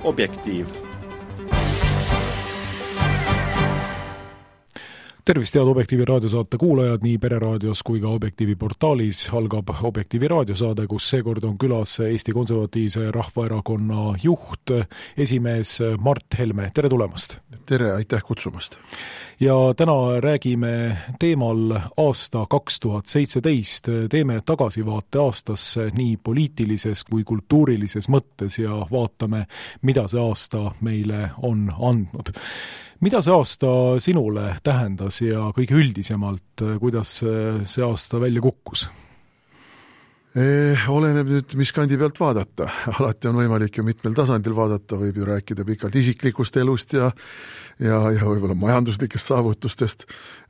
Objektiiv. Tervist, head Objektiivi raadiosaate kuulajad, nii Pereraadios kui ka Objektiivi portaalis algab Objektiivi raadiosaade, kus seekord on külas Eesti Konservatiivse Rahvaerakonna juht, esimees Mart Helme. Tere tulemast! Tere, aitäh kutsumast! Ja täna räägime teemal aasta 2017. Teeme tagasivaate aastasse nii poliitilises kui kultuurilises mõttes ja vaatame, mida see aasta meile on andnud. Mida see aasta sinule tähendas ja kõige üldisemalt, kuidas see aasta välja kukkus? Oleneb nüüd, mis kandi pealt vaadata. Alati on võimalik ju mitmel tasandil vaadata, võib ju rääkida pikalt isiklikust elust ja võib-olla majanduslikest saavutustest.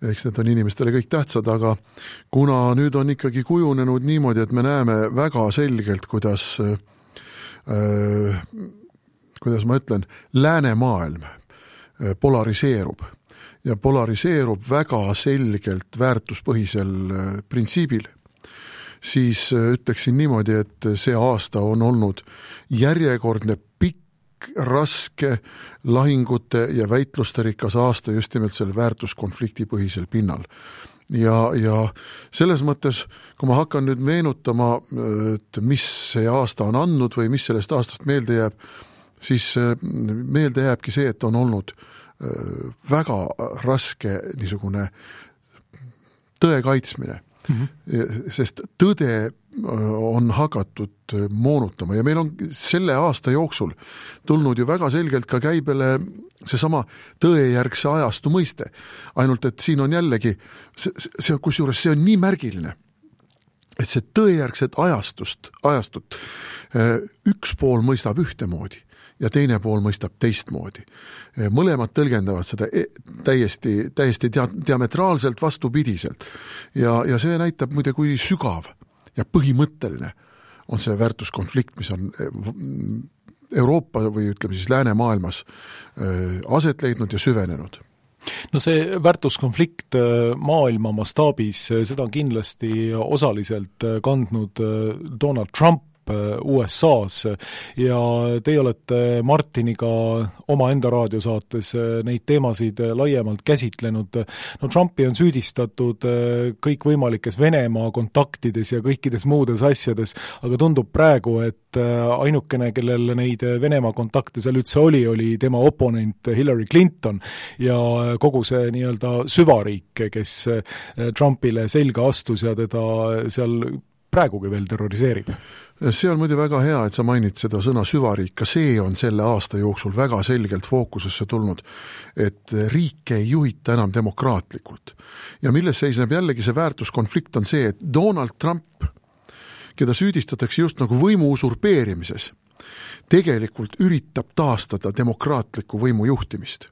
Eks need on inimestele kõik tähtsad, aga kuna nüüd on ikkagi kujunenud niimoodi, et me näeme väga selgelt, kuidas ma ütlen, läänemaailm polariseerub ja polariseerub väga selgelt väärtuspõhisel printsiibil, siis ütleksin niimoodi, et see aasta on olnud järjekordne pikk, raske lahingute ja väitluste rikas aasta just nimelt selle väärtuskonflikti põhisel pinnal. Ja selles mõttes, kui ma hakkan nüüd meenutama, et mis see aasta on andnud või mis sellest aastast meelde jääb, siis meelde jääbki see, et on olnud väga raske niisugune tõe kaitsmine. Sest tõde on hakatud moonutama ja meil on selle aasta jooksul tulnud ju väga selgelt ka käibele seesama tõejärgse ajastu mõiste. Ainult, et siin on jällegi, kusjuures see on nii märgiline, et see tõejärgset ajastut üks pool mõistab ühtemoodi ja teine pool mõistab teistmoodi. Mõlemad tõlgendavad seda täiesti diametraalselt vastupidiselt. Ja see näitab muide, kui sügav ja põhimõtteline on see väärtuskonflikt, mis on Euroopa või ütleme siis läänemaailmas aset leidnud ja süvenenud. No see väärtuskonflikt maailma mastaabis, seda on kindlasti osaliselt kandnud Donald Trump USA-s ja teie olete Martiniga oma enda raadiosaates neid teemasid laiemalt käsitlenud. No Trumpi on süüdistatud kõikvõimalikes Venemaa kontaktides ja kõikides muudes asjades, aga tundub praegu, et ainukene, kellel neid Venemaa kontakte seal üldse oli tema oponent Hillary Clinton ja kogu see nii-öelda süvariik, kes Trumpile selga astus ja teda seal praegugi veel terroriseerib. See on muide väga hea, et sa mainid seda sõna süvariik, ka see on selle aasta jooksul väga selgelt fookusesse tulnud, et riike ei juhita enam demokraatlikult. Ja milles seisneb jällegi see väärtuskonflikt on see, et Donald Trump, keda süüdistatakse just nagu võimu usurpeerimises, tegelikult üritab taastada demokraatliku võimu juhtimist.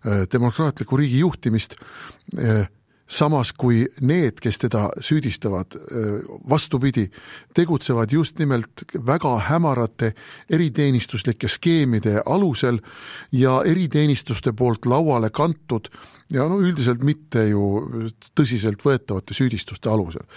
Demokraatliku riigi juhtimist samas kui need, kes teda süüdistavad vastupidi, tegutsevad just nimelt väga hämarate eriteenistuslike skeemide alusel ja eriteenistuste poolt lauale kantud ja üldiselt mitte ju tõsiselt võetavate süüdistuste alusel.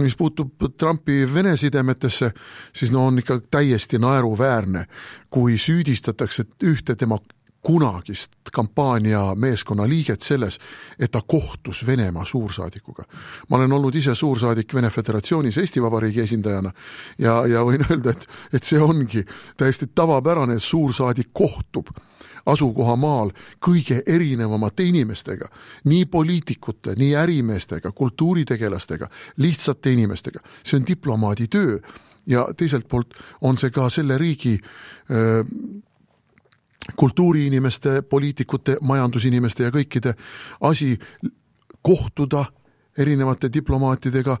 Mis puutub Trumpi Vene sidemetesse, siis on ikka täiesti naeruväärne, kui süüdistatakse ühte tema kunagist kampaania meeskonna liiget selles, et ta kohtus Venemaa suursaadikuga. Ma olen olnud ise suursaadik Vene Föderatsioonis Eesti Vabariigi esindajana ja võin öelda, et see ongi täiesti tavapärane, et suursaadik kohtub asukohamaal kõige erinevamate inimestega, nii poliitikute, nii ärimeestega, kultuuritegelastega, lihtsate inimestega. See on diplomaadi töö ja teiselt poolt on see ka selle riigi kultuuriinimeste, poliitikute, majandusinimeste ja kõikide asi kohtuda erinevate diplomaatidega,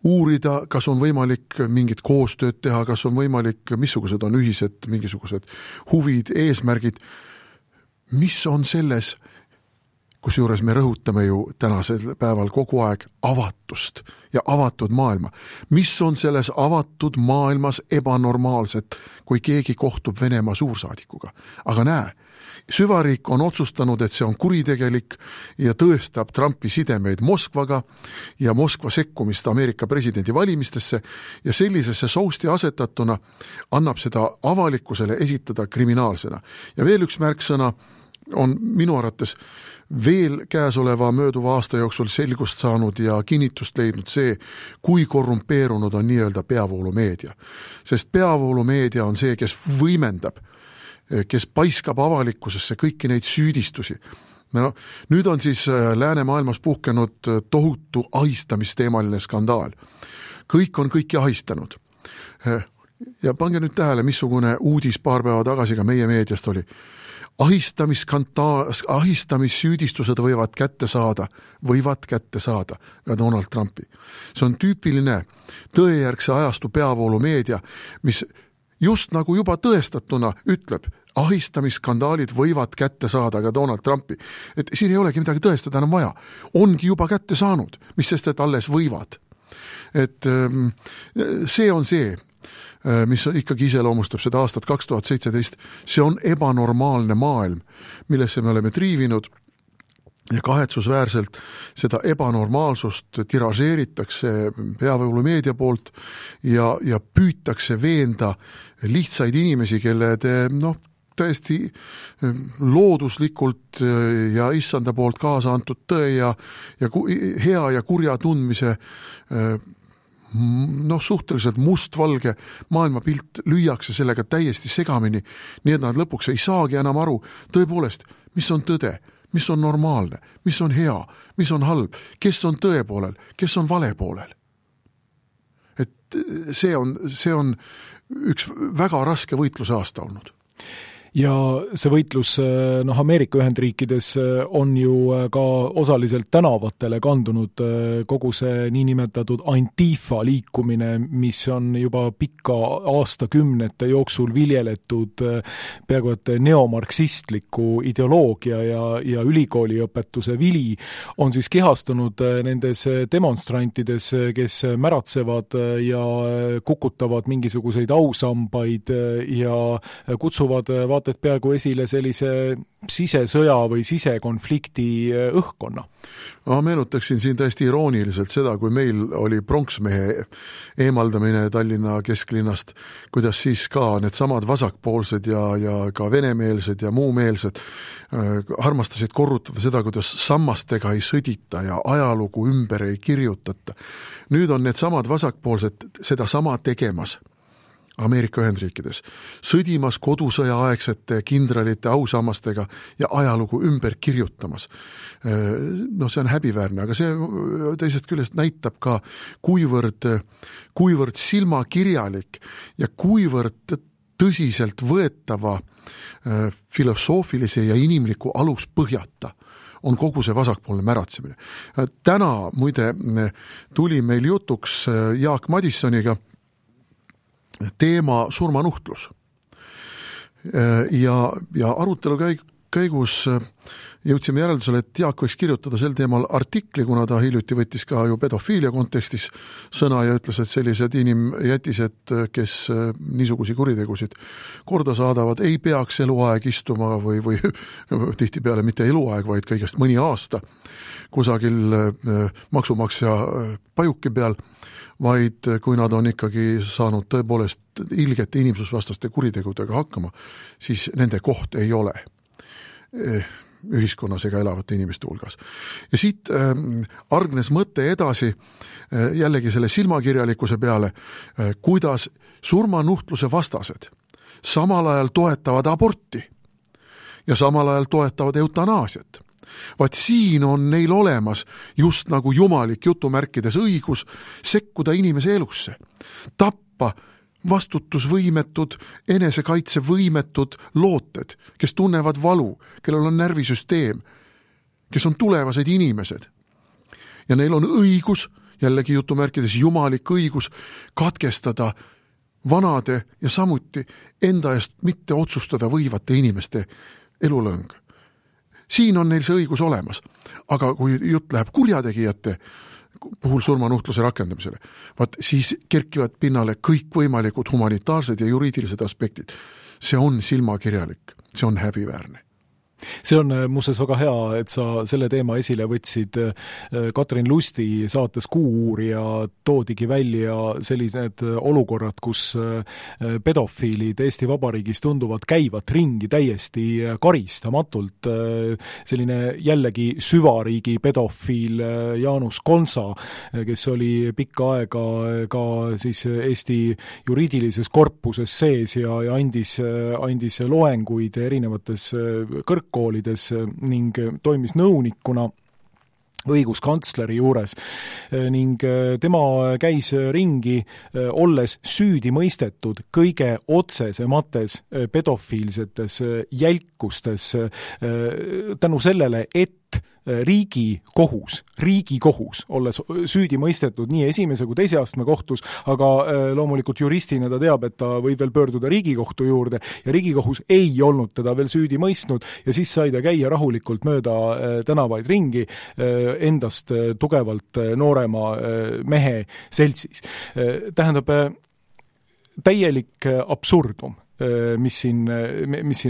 uurida, kas on võimalik mingit koostööd teha, kas on võimalik, missugused on ühised mingisugused huvid, eesmärgid. Mis on selles kusjuures me rõhutame ju tänasel päeval kogu aeg avatust ja avatud maailma. Mis on selles avatud maailmas ebanormaalset, kui keegi kohtub Venemaa suursaadikuga? Aga näe, süvariik on otsustanud, et see on kuritegelik ja tõestab Trumpi sidemeid Moskvaga ja Moskva sekkumist Ameerika presidendi valimistesse ja sellisesse sousti asetatuna annab seda avalikkusele esitada kriminaalsena. Ja veel üks märksõna on minu arvates veel käesoleva mööduva aasta jooksul selgust saanud ja kinnitust leidnud see, kui korrumpeerunud on nii-öelda peavoolumeedia. Sest peavoolumeedia on see, kes võimendab, kes paiskab avalikkusesse kõiki neid süüdistusi. No, nüüd on siis läänemaailmas puhkenud tohutu ahistamisteemaline skandaal. Kõik on kõiki ahistanud. Ja pange nüüd tähele, missugune uudis paar päeva tagasi ka meie meediast oli. Ahistamissüüdistused võivad kätte saada ka Donald Trumpi. See on tüüpiline tõejärgse ajastu peavoolumeedia, mis just nagu juba tõestatuna ütleb, ahistamisskandaalid võivad kätte saada ka Donald Trumpi. Et siin ei olegi midagi tõestada enam vaja. Ongi juba kätte saanud, mis sest, et alles võivad. Et see on see, mis ikkagi iseloomustab seda aastat 2017. See on ebanormaalne maailm, millesse me oleme triivinud ja kahetsusväärselt seda ebanormaalsust tiražeeritakse peavoolumeedia poolt ja püütakse veenda lihtsaid inimesi, kelle täiesti looduslikult ja issanda poolt kaasa antud tõe ja hea ja kurja tundmise suhteliselt mustvalge maailmapilt lüüakse sellega täiesti segamini, nii et nad lõpuks ei saagi enam aru tõepoolest, mis on tõde, mis on normaalne, mis on hea, mis on halb, kes on tõe poolel, kes on vale poolel. Et see on üks väga raske võitluse aasta olnud. Ja see võitlus Ameerika Ühendriikides on ju ka osaliselt tänavatele kandunud kogu see niinimetatud Antifa liikumine, mis on juba pikka aastakümnete jooksul viljeletud peaaegu et neomarksistliku ideoloogia ja ülikooliõpetuse vili, on siis kehastunud nendes demonstrantides, kes märatsevad ja kukutavad mingisuguseid ausambaid ja kutsuvad et peaaegu esile sellise sisesõja või sisekonflikti õhkkonna. Ma meenutaksin siin täiesti irooniliselt seda, kui meil oli pronksmehe eemaldamine Tallinna kesklinnast, kuidas siis ka need samad vasakpoolsed ja ka venemeelsed ja muumeelsed armastasid korrutada seda, kuidas sammastega ei sõdita ja ajalugu ümber ei kirjutata. Nüüd on need samad vasakpoolsed seda sama tegemas Ameerika Ühendriikides, sõdimas kodusõja aegsete kindralite ausammastega ja ajalugu ümber kirjutamas. See on häbiväärne, aga see teisest küljest näitab ka, kuivõrd silmakirjalik ja kuivõrd tõsiselt võetava filosoofilise ja inimliku aluspõhjata on kogu see vasakpoolne märatsemine. Täna muide tuli meil jutuks Jaak Madissoniga teema surmanuhtlus. Ja arutelu käigus jõudsime järeldusele, et Jaak võiks kirjutada sel teemal artikli, kuna ta hiljuti võttis ka ju pedofiilia kontekstis sõna ja ütles, et sellised inimjätised, kes niisugusi kuritegusid korda saadavad, ei peaks eluaeg istuma või tihtipeale mitte eluaeg, vaid kõigest mõni aasta kusagil maksumaksja pajuki peal, vaid kui nad on ikkagi saanud tõepoolest ilgete inimsusvastaste kuritegudega hakkama, siis nende koht ei ole ühiskonnas ega elavate inimeste hulgas. Ja siit argnes mõte edasi jällegi selle silmakirjalikkuse peale, kuidas surmanuhtluse vastased samal ajal toetavad aborti ja samal ajal toetavad eutanaasiat. Vaat siin on neil olemas just nagu jumalik jutumärkides õigus sekkuda inimese elusse, tappa vastutusvõimetud, enesekaitsevõimetud looted, kes tunnevad valu, kellel on närvisüsteem, kes on tulevased inimesed. Ja neil on õigus, jällegi jutumärkides jumalik õigus, katkestada vanade ja samuti enda eest mitte otsustada võivate inimeste elulõng. siin on neil see õigus olemas. Aga kui jutt läheb kurjategijate puhul surmanuhtluse rakendamisele, vaat siis kerkivad pinnale kõikvõimalikud humanitaarsed ja juriidilised aspektid. See on silmakirjalik, see on häbiväärne. See on muuseas väga hea, et sa selle teema esile võtsid. Katrin Lusti saates Kuu-uurija toodigi välja sellised olukorrad, kus pedofiilid Eesti Vabariigis tunduvad käivat ringi täiesti karistamatult. Selline jällegi süvariigi pedofiil Jaanus Konsa, kes oli pikka aega ka siis Eesti juriidilises korpuses sees ja andis loenguid erinevates kõrgkoolides ning toimis nõunikuna õiguskantsleri juures ning tema käis ringi olles süüdi mõistetud kõige otsesemates pedofiilsetes jälkustes tänu sellele, et Riigikohus, olles süüdi mõistetud nii esimese kui teise astme kohtus, aga loomulikult juristina ta teab, et ta võib veel pöörduda Riigikohtu juurde ja Riigikohus ei olnud teda veel süüdi mõistnud ja siis sai ta käia rahulikult mööda tänavaid ringi endast tugevalt noorema mehe seltsis. Tähendab, täielik absurdum, mis siin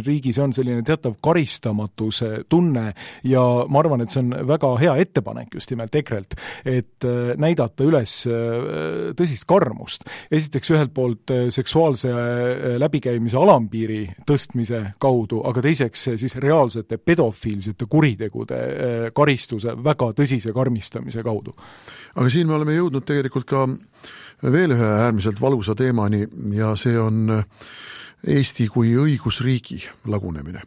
riigis on, selline teatav karistamatuse tunne ja ma arvan, et see on väga hea ettepanek just nimelt EKRE-lt, et näidata üles tõsist karmust. Esiteks ühelt poolt seksuaalse läbikäimise alampiiri tõstmise kaudu, aga teiseks siis reaalsete pedofiilsete kuritegude karistuse väga tõsise karmistamise kaudu. Aga siin me oleme jõudnud tegelikult ka veel ühe äärmiselt valusa teemani ja see on Eesti kui õigusriigi lagunemine.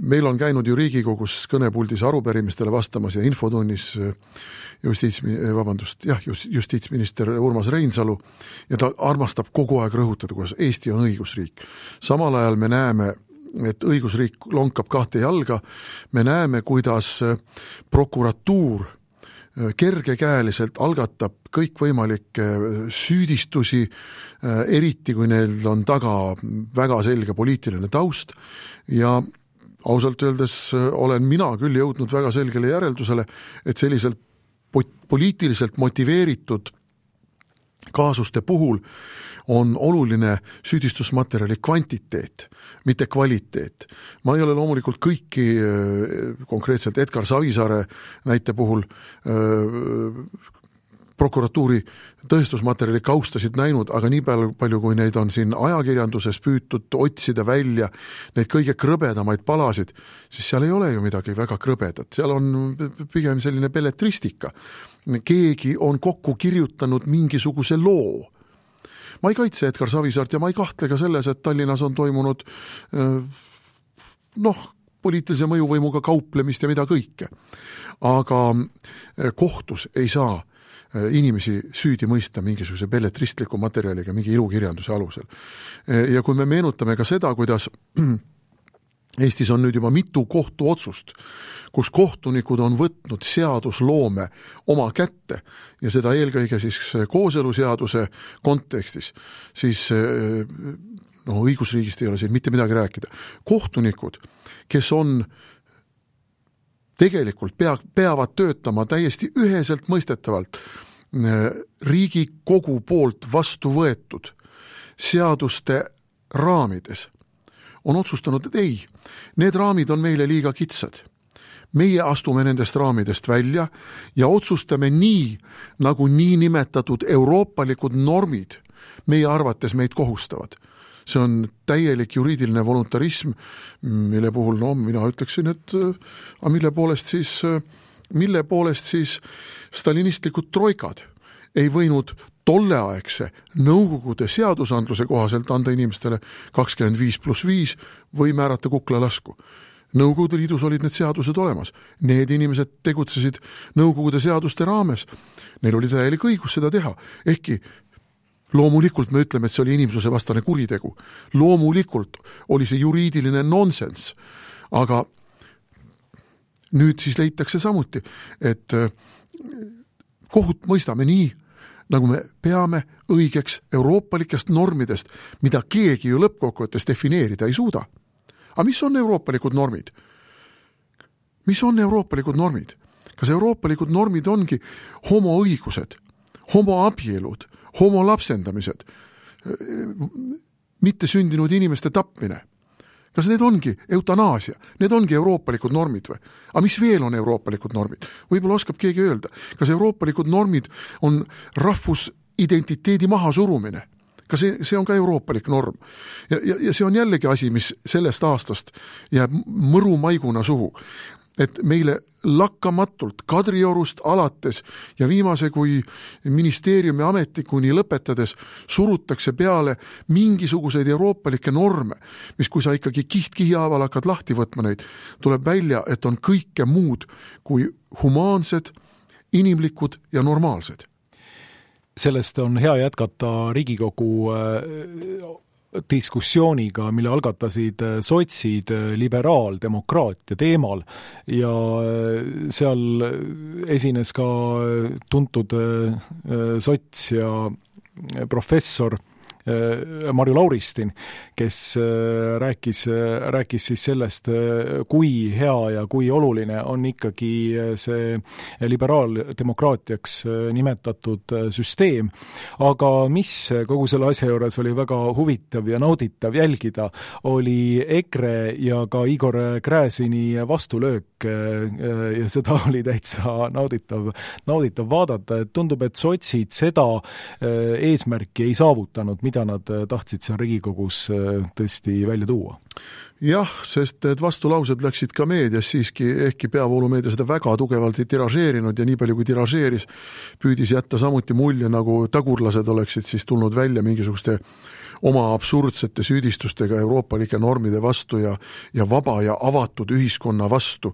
Meil on käinud ju Riigikogus kõnepuldis arupärimistele vastamas ja infotunnis justiitsminister Urmas Reinsalu ja ta armastab kogu aeg rõhutada, kuidas Eesti on õigusriik. Samal ajal me näeme, et õigusriik lonkab kahte jalga, me näeme, kuidas prokuratuur kergekäeliselt algatab kõikvõimalikke süüdistusi, eriti kui neil on taga väga selge poliitiline taust ja ausalt öeldes olen mina küll jõudnud väga selgele järeldusele, et selliselt poliitiliselt motiveeritud kaasuste puhul on oluline süüdistusmaterjali kvantiteet, mitte kvaliteet. Ma ei ole loomulikult kõiki konkreetselt Edgar Savisaare näite puhul prokuratuuri tõestusmaterjali kaustasid näinud, aga nii palju, kui neid on siin ajakirjanduses püütud otsida välja neid kõige krõbedamaid palasid, siis seal ei ole ju midagi väga krõbedat. Seal on pigem selline belletristika. Keegi on kokku kirjutanud mingisuguse loo. Ma ei kaitse Edgar Savisaart ja ma ei kahtle ka selles, et Tallinnas on toimunud poliitilise mõjuvõimuga kauplemist ja mida kõike. Aga kohtus ei saa inimesi süüdi mõista mingisuguse belletristliku materjaliga, mingi ilukirjanduse alusel. Ja kui me meenutame ka seda, kuidas Eestis on nüüd juba mitu kohtuotsust, kus kohtunikud on võtnud seadusloome oma kätte ja seda eelkõige siis kooseluseaduse kontekstis, siis õigusriigist ei ole siin mitte midagi rääkida. Kohtunikud, kes on tegelikult peavad töötama täiesti üheselt mõistetavalt Riigikogu poolt vastu võetud seaduste raamides, on otsustanud, et ei, need raamid on meile liiga kitsad. Meie astume nendest raamidest välja ja otsustame nii, nagu niinimetatud euroopalikud normid meie arvates meid kohustavad. See on täielik juriidiline voluntarism, mille puhul, mina ütleksin, et mille poolest siis stalinistlikud troikad ei võinud tolleaegse nõukogude seadusandluse kohaselt anda inimestele 25+5 või määrata kuklalasku. Nõukogude liidus olid need seadused olemas. Need inimesed tegutsesid nõukogude seaduste raames. Neil oli täielik õigus seda teha. Ehkki loomulikult me ütleme, et see oli inimsuse vastane kuritegu. Loomulikult oli see juriidiline nonsense. Aga nüüd siis leitakse samuti, et kohut mõistame nii, nagu me peame õigeks euroopalikest normidest, mida keegi ju lõppkokkuvõttes defineerida ei suuda. Aga mis on euroopalikud normid? Mis on euroopalikud normid? Kas euroopalikud normid ongi homoõigused, homoabielud, homolapsendamised, mitte sündinud inimeste tapmine? Kas need ongi eutanaasia? Need ongi euroopalikud normid või? Aga mis veel on euroopalikud normid? Võib-olla oskab keegi öelda. Kas euroopalikud normid on rahvusidentiteedi mahasurumine? Kas see on ka euroopalik norm? Ja see on jällegi asi, mis sellest aastast jääb mõru maiguna suhu. Et meile lakkamatult Kadriorust alates ja viimase kui ministeeriumi ametnikuni lõpetades surutakse peale mingisuguseid euroopalikke norme, mis kui sa ikkagi kiht-kihihaaval hakkad lahti võtma neid, tuleb välja, et on kõike muud kui humaansed, inimlikud ja normaalsed. Sellest on hea jätkata Riigikogu diskussiooniga, mille algatasid sotsid liberaaldemokraatia teemal ja seal esines ka tuntud sots ja professor Marju Lauristin, kes rääkis siis sellest, kui hea ja kui oluline on ikkagi see liberaaldemokraatiaks nimetatud süsteem. Aga mis kogu selle asja juures oli väga huvitav ja nauditav jälgida, oli EKRE ja ka Igor Gräzini vastulöök ja seda oli täitsa nauditav vaadata, et tundub, et sotsid seda eesmärki ei saavutanud, mida nad tahtsid seal Riigikogus tõesti välja tuua. Jah, sest need vastulaused läksid ka meedias siiski, ehkki peavoolumeedia seda väga tugevalt ei tiražeerinud ja nii palju kui tiražeeris, püüdis jätta samuti mulje, nagu tagurlased oleksid siis tulnud välja mingisuguste oma absurdsete süüdistustega euroopalike normide vastu ja vaba ja avatud ühiskonna vastu.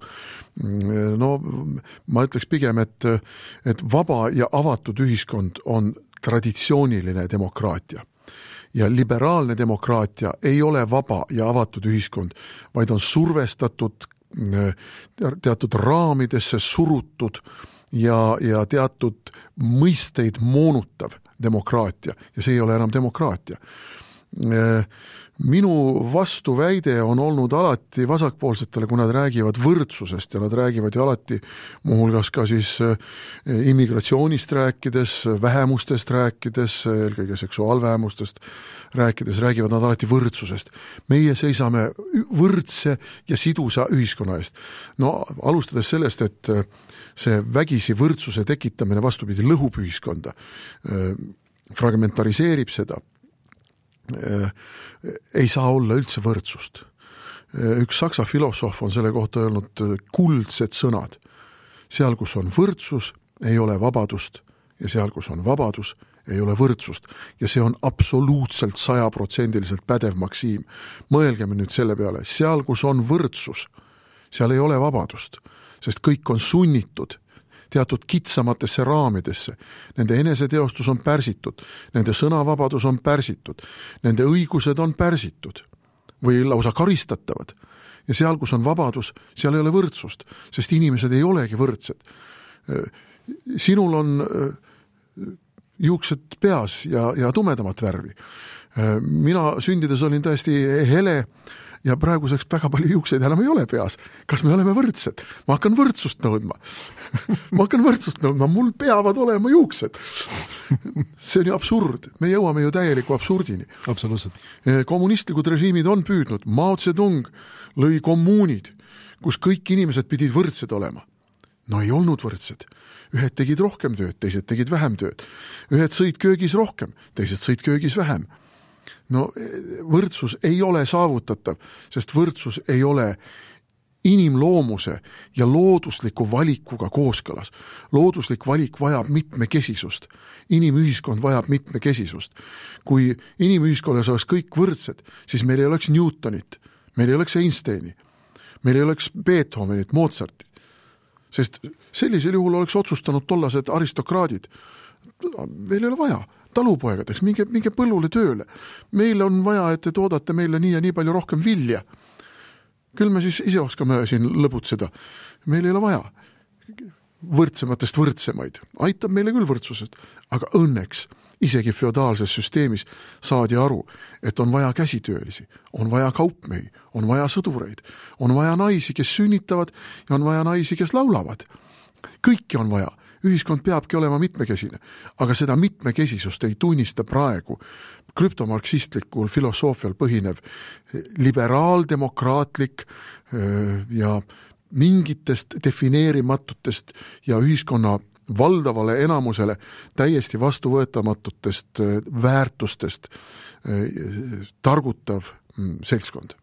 No ma ütleks pigem, et vaba ja avatud ühiskond on traditsiooniline demokraatia. Ja liberaalne demokraatia ei ole vaba ja avatud ühiskond, vaid on survestatud, teatud raamidesse surutud ja teatud mõisteid moonutav demokraatia ja see ei ole enam demokraatia. Minu vastuväide on olnud alati vasakpoolsetele, kui nad räägivad võrdsusest ja nad räägivad ju alati muuhulgas ka siis immigratsioonist rääkides, vähemustest rääkides, eelkõige seksuaalvähemustest räägivad nad alati võrdsusest. Meie seisame võrdse ja sidusa ühiskonna eest. No alustades sellest, et see vägisi võrdsuse tekitamine vastupidi lõhub ühiskonda, fragmentariseerib seda, ei saa olla üldse võrdsust. Üks saksa filosoof on selle kohta öelnud kuldsed sõnad. Seal, kus on võrdsus, ei ole vabadust ja seal, kus on vabadus, ei ole võrdsust. Ja see on absoluutselt 100% pädev maksiim. Mõelgeme nüüd selle peale. Seal, kus on võrdsus, seal ei ole vabadust, sest kõik on sunnitud teatud kitsamatesse raamidesse. Nende eneseteostus on pärsitud, nende sõnavabadus on pärsitud, nende õigused on pärsitud või lausa karistatavad. Ja seal, kus on vabadus, seal ei ole võrdsust, sest inimesed ei olegi võrdsed. Sinul on juuksed peas ja tumedamat värvi. Mina sündides olin täiesti hele ja praeguseks väga palju juukseid enam ei ole peas. Kas me oleme võrdsed? Ma hakkan võrdsust nõudma. Mul peavad olema juuksed. See on ju absurd. Me jõuame ju täieliku absurdini. Absoluutselt. Kommunistlikud režiimid on püüdnud. Mao Zedong lõi kommuunid, kus kõik inimesed pidid võrdsed olema. No ei olnud võrdsed. Ühed tegid rohkem tööd, teised tegid vähem tööd. Ühed sõid köögis rohkem, teised sõid köögis vähem. No võrdsus ei ole saavutatav, sest võrdsus ei ole inimloomuse ja loodusliku valikuga kooskõlas. Looduslik valik vajab mitmekesisust. Inimühiskond vajab mitmekesisust. Kui inimühiskonnas oleks kõik võrdsed, siis meil ei oleks Newtonit, meil ei oleks Einsteini, meil ei oleks Beethovenit, Mozartit. Sest sellisel juhul oleks otsustanud tollased aristokraadid. Meil ei ole vaja. Talupoegadeks, minge põllule tööle. Meil on vaja, et te toodate meile nii ja nii palju rohkem vilja. Küll me siis ise oskame siin lõbutseda. Meil ei ole vaja võrdsematest võrdsemaid. Aitab meile küll võrdsusest, aga õnneks isegi feodaalses süsteemis saadi aru, et on vaja käsitöölisi, on vaja kaupmehi, on vaja sõdureid, on vaja naisi, kes sünnitavad ja on vaja naisi, kes laulavad. Kõiki on vaja. Ühiskond peabki olema mitmekesine, aga seda mitmekesisust ei tunnista praegu krüptomarksistlikul filosoofial põhinev liberaaldemokraatlik ja mingitest defineerimatutest ja ühiskonna valdavale enamusele täiesti vastuvõetamatutest väärtustest targutav seltskond.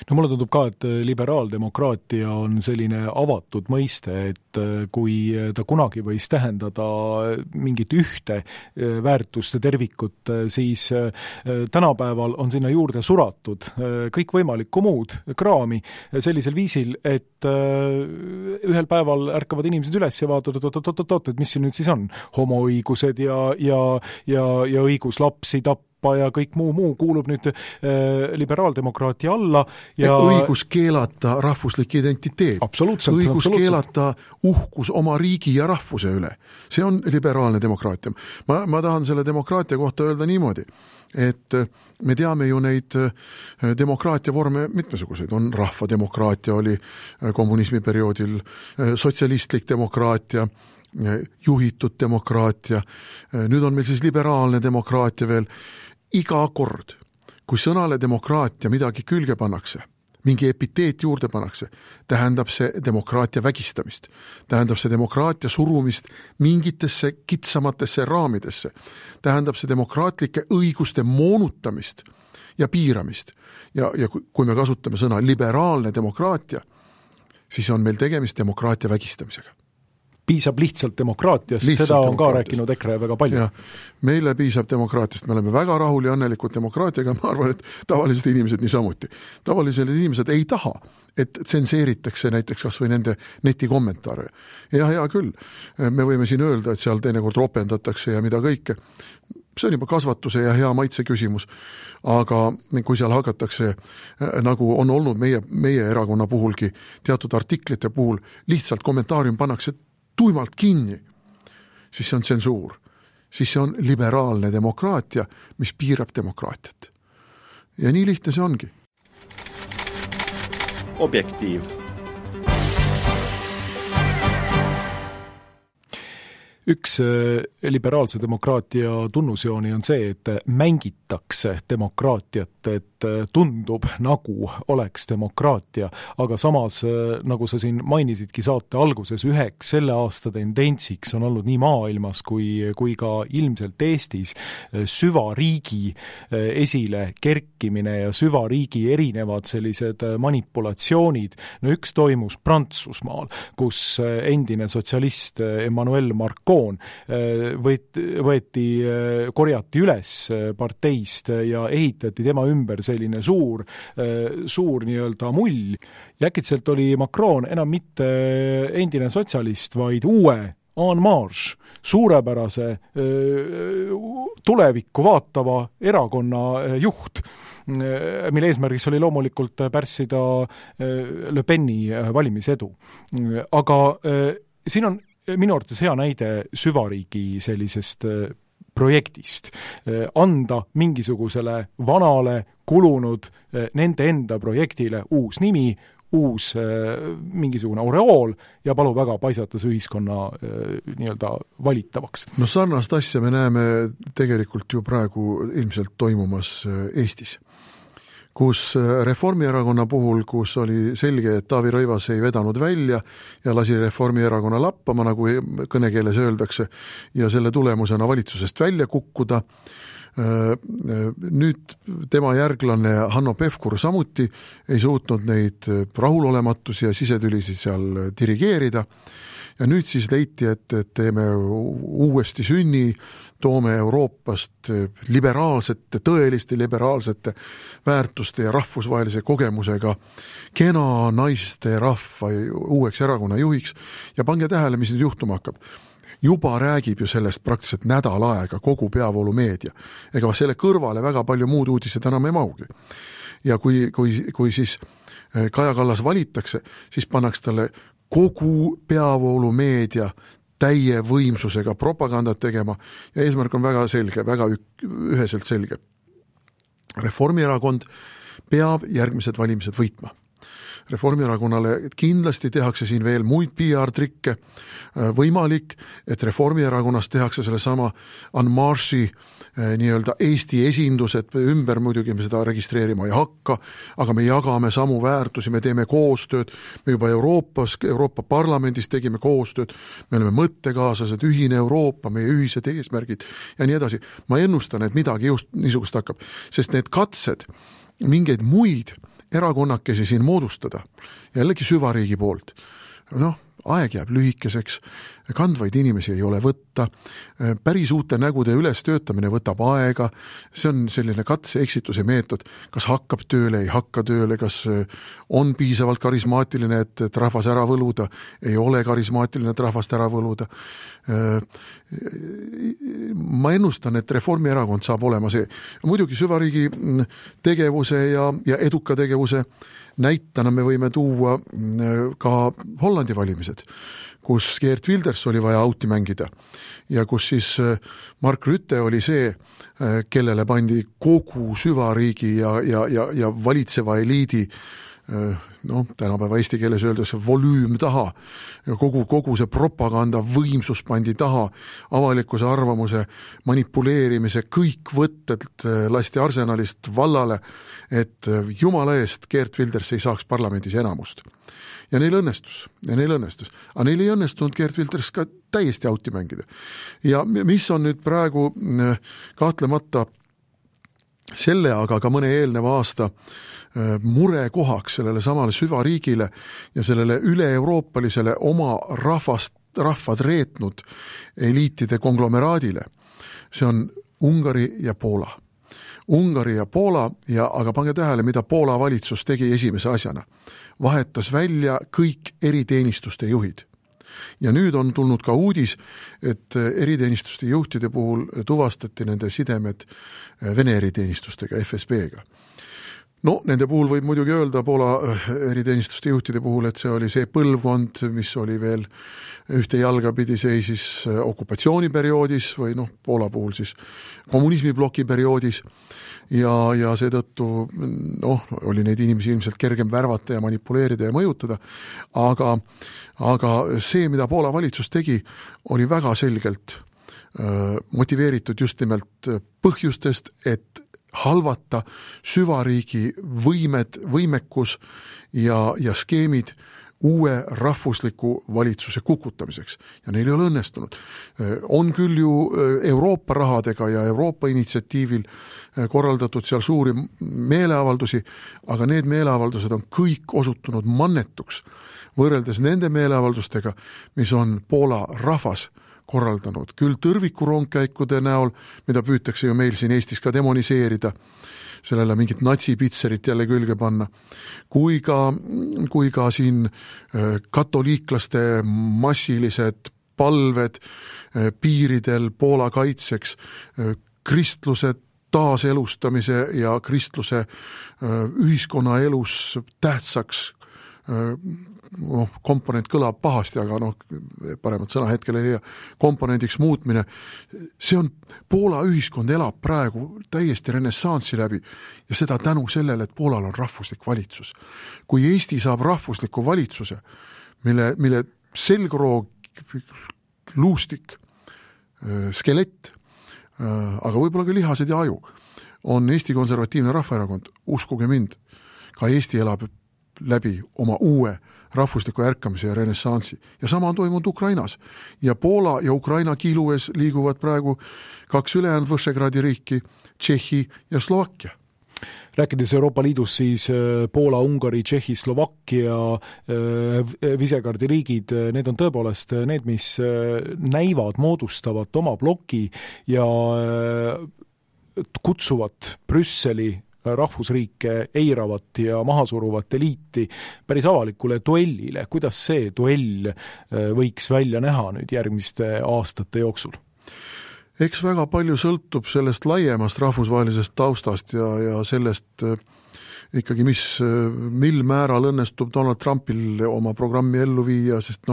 No mulle tundub ka, et liberaaldemokraatia on selline avatud mõiste, et kui ta kunagi võis tähendada mingit ühte väärtuste tervikut, siis tänapäeval on sinna juurde suratud kõikvõimalikku muud kraami sellisel viisil, et ühel päeval ärkavad inimesed üles ja vaatavad, et mis siin nüüd siis on. Homoõigused ja õigus lapsi tappa ja kõik muu kuulub nüüd liberaaldemokraatia alla. Ja õigus keelata rahvuslik identiteet. Õigus keelata uhkus oma riigi ja rahvuse üle. See on liberaalne demokraatia. Ma tahan selle demokraatia kohta öelda niimoodi, et me teame ju neid demokraatia vorme mitmesuguseid. On rahvademokraatia, oli kommunismi perioodil sotsialistlik demokraatia, juhitud demokraatia. Nüüd on meil siis liberaalne demokraatia veel. Iga kord, kui sõnale demokraatia midagi külge pannakse, mingi epiteet juurde pannakse, tähendab see demokraatia vägistamist, tähendab see demokraatia surumist mingitesse kitsamatesse raamidesse, tähendab see demokraatlike õiguste moonutamist ja piiramist. Ja kui me kasutame sõna liberaalne demokraatia, siis on meil tegemist demokraatia vägistamisega. Piisab lihtsalt demokraatiast, seda on ka rääkinud EKRE väga palju. Ja, meile piisab demokraatiast, me oleme väga rahul ja õnnelikud demokraatiaga, ma arvan, et tavalised inimesed niisamuti. Tavalised inimesed ei taha, et tsenseeritakse näiteks kas või nende netikommentaare. Ja hea küll, me võime siin öelda, et seal teinekord ropendatakse ja mida kõike. See on juba kasvatuse ja hea maitse küsimus, aga kui seal hakatakse, nagu on olnud meie erakonna puhulgi, teatud artiklite puhul, lihtsalt kommentaarium pannakse tuimalt kinni, siis see on tsensuur. Siis see on liberaalne demokraatia, mis piirab demokraatiat. Ja nii lihtne see ongi. Objektiiv. Üks liberaalse demokraatia tunnusjooni on see, et mängitakse demokraatiat, et tundub nagu oleks demokraatia, aga samas, nagu sa siin mainisidki saate alguses, üheks selle aasta tendentsiks on olnud nii maailmas kui ka ilmselt Eestis süvariigi esile kerkimine ja süvariigi erinevad sellised manipulatsioonid. No üks toimus Prantsusmaal, kus endine sotsialist Emmanuel Macron korjati üles parteist ja ehitati tema ümber selline suur nii-öelda mull. Ja äkitselt oli Macron enam mitte endine sotsialist, vaid uue en marche, suurepärase tulevikku vaatava erakonna juht, mille eesmärgiks oli loomulikult pärssida Le Peni valimisedu. Aga siin on minu arvates hea näide süvariigi sellisest projektist. Anda mingisugusele vanale kulunud nende enda projektile uus nimi, uus mingisugune oreool ja palu väga paisatas ühiskonna nii-öelda valitavaks. No sarnast asja me näeme tegelikult ju praegu ilmselt toimumas Eestis, kus Reformierakonna puhul, kus oli selge, et Taavi Rõivas ei vedanud välja ja lasi Reformierakonna lappama, nagu kõnekeeles öeldakse, ja selle tulemusena valitsusest välja kukkuda. Nüüd tema järglane Hanno Pevkur samuti ei suutnud neid rahulolematus ja sisetülisi seal dirigeerida. Ja nüüd siis leiti, et teeme uuesti sünni, toome Euroopast liberaalsete, tõeliste liberaalsete väärtuste ja rahvusvahelise kogemusega kena naiste rahva uueks erakonna juhiks. Ja pange tähele, mis nüüd juhtuma hakkab. Juba räägib ju sellest praktiliselt nädal aega kogu peavoolumeedia. Ega selle kõrvale väga palju muud uudised enam ei maugi. Ja kui siis Kaja Kallas valitakse, siis pannakse talle kogu peavoolumeedia täie võimsusega propagandat tegema ja eesmärk on väga selge, väga üheselt selge. Reformierakond peab järgmised valimised võitma. Reformierakonnale kindlasti tehakse siin veel muid PR-trikke, võimalik, et Reformierakonnast tehakse sellesama en marche'i nii-öelda Eesti esindused ümber, muidugi me seda registreerima ei hakka, aga me jagame samu väärtusi, me teeme koostööd, me juba Euroopa Parlamendis tegime koostööd, me oleme mõttekaaslased, ühine Euroopa, meie ühised eesmärgid ja nii edasi. Ma ennustan, et midagi just niisugust hakkab, sest need katsed mingeid muid erakonnakesi siin moodustada, jällegi süvariigi poolt, aeg jääb lühikeseks, kandvaid inimesi ei ole võtta, päris uute nägude üles töötamine võtab aega, see on selline katse-eksituse meetod, kas hakkab tööle, ei hakka tööle, kas on piisavalt karismaatiline, et rahvas ära võluda, ei ole karismaatiline, et rahvast ära võluda. Ma ennustan, et Reformierakond saab olema see. Muidugi süvariigi tegevuse ja eduka tegevuse näitena me võime tuua ka Hollandi valimised, kus Geert Wilders oli vaja auti mängida ja kus siis Mark Rutte oli see, kellele pandi kogu süvariigi ja valitseva eliidi tänapäeva eesti keeles öeldes volüüm taha, kogu see propaganda võimsus pandi taha, avalikkuse arvamuse manipuleerimise, kõik võtted lasti arsenalist vallale, et jumala eest Geert Wilders ei saaks parlamendis enamust. Ja neil õnnestus. Aga neil ei õnnestunud Geert Wilders ka täiesti auti mängida. Ja mis on nüüd praegu kahtlemata selle, aga ka mõne eelneva aasta murekohaks sellele samale süvariigile ja sellele üle-euroopalisele oma rahvad reetnud eliitide konglomeraadile. See on Ungari ja Poola. Aga pange tähele, mida Poola valitsus tegi esimese asjana. Vahetas välja kõik eriteenistuste juhid. Ja nüüd on tulnud ka uudis, et eriteenistuste juhtide puhul tuvastati nende sidemed Vene eriteenistustega, FSB-ga. Nende puhul võib muidugi öelda Poola eriteenistuste juhtide puhul, et see oli see põlvkond, mis oli veel ühte jalga pidi seisis okupatsiooniperioodis või Poola puhul siis kommunismibloki perioodis ja seetõttu oli neid inimesi ilmselt kergem värvata ja manipuleerida ja mõjutada, aga see, mida Poola valitsus tegi, oli väga selgelt motiveeritud just nimelt põhjustest, et halvata süvariigi võimekus ja skeemid uue rahvusliku valitsuse kukutamiseks. Ja neil ei ole õnnestunud. On küll ju Euroopa rahadega ja Euroopa initsiatiivil korraldatud seal suuri meeleavaldusi, aga need meeleavaldused on kõik osutunud mannetuks võrreldes nende meeleavaldustega, mis on Poola rahvas korraldanud, küll tõrvikurongkäikude näol, mida püütakse ju meil siin Eestis ka demoniseerida, sellele mingit natsipitserit jälle külge panna, kui ka siin katoliiklaste massilised palved piiridel Poola kaitseks, kristluse taaselustamise ja kristluse ühiskonnaelus tähtsaks komponent kõlab pahasti, aga paremat sõna hetkel ei leia, komponendiks muutmine. See on, Poola ühiskond elab praegu täiesti renessanssi läbi ja seda tänu sellele, et Poolal on rahvuslik valitsus. Kui Eesti saab rahvusliku valitsuse, mille selgroog, luustik, skelett, aga võib-olla ka lihased ja aju, on Eesti Konservatiivne Rahvaerakond, uskuge mind, ka Eesti elab läbi oma uue rahvusliku ärkamise ja renessansi. Ja sama on toimunud Ukrainas. Ja Poola ja Ukraina kiilues liiguvad praegu 2 ülejäänud Võšegradi riiki, Tšehhi ja Slovakkia. Rääkides Euroopa Liidus, siis Poola, Ungari, Tšehhi, Slovakkia, Visegradi riigid, need on tõepoolest need, mis näivad moodustavat oma bloki ja kutsuvad Brüsseli rahvusriike eiravat ja mahasuruvat eliiti päris avalikule duellile. Kuidas see duell võiks välja näha nüüd järgmiste aastate jooksul? Eks väga palju sõltub sellest laiemast rahvusvahelisest taustast ja sellest ikkagi, mil määral õnnestub Donald Trumpil oma programmi ellu viia, sest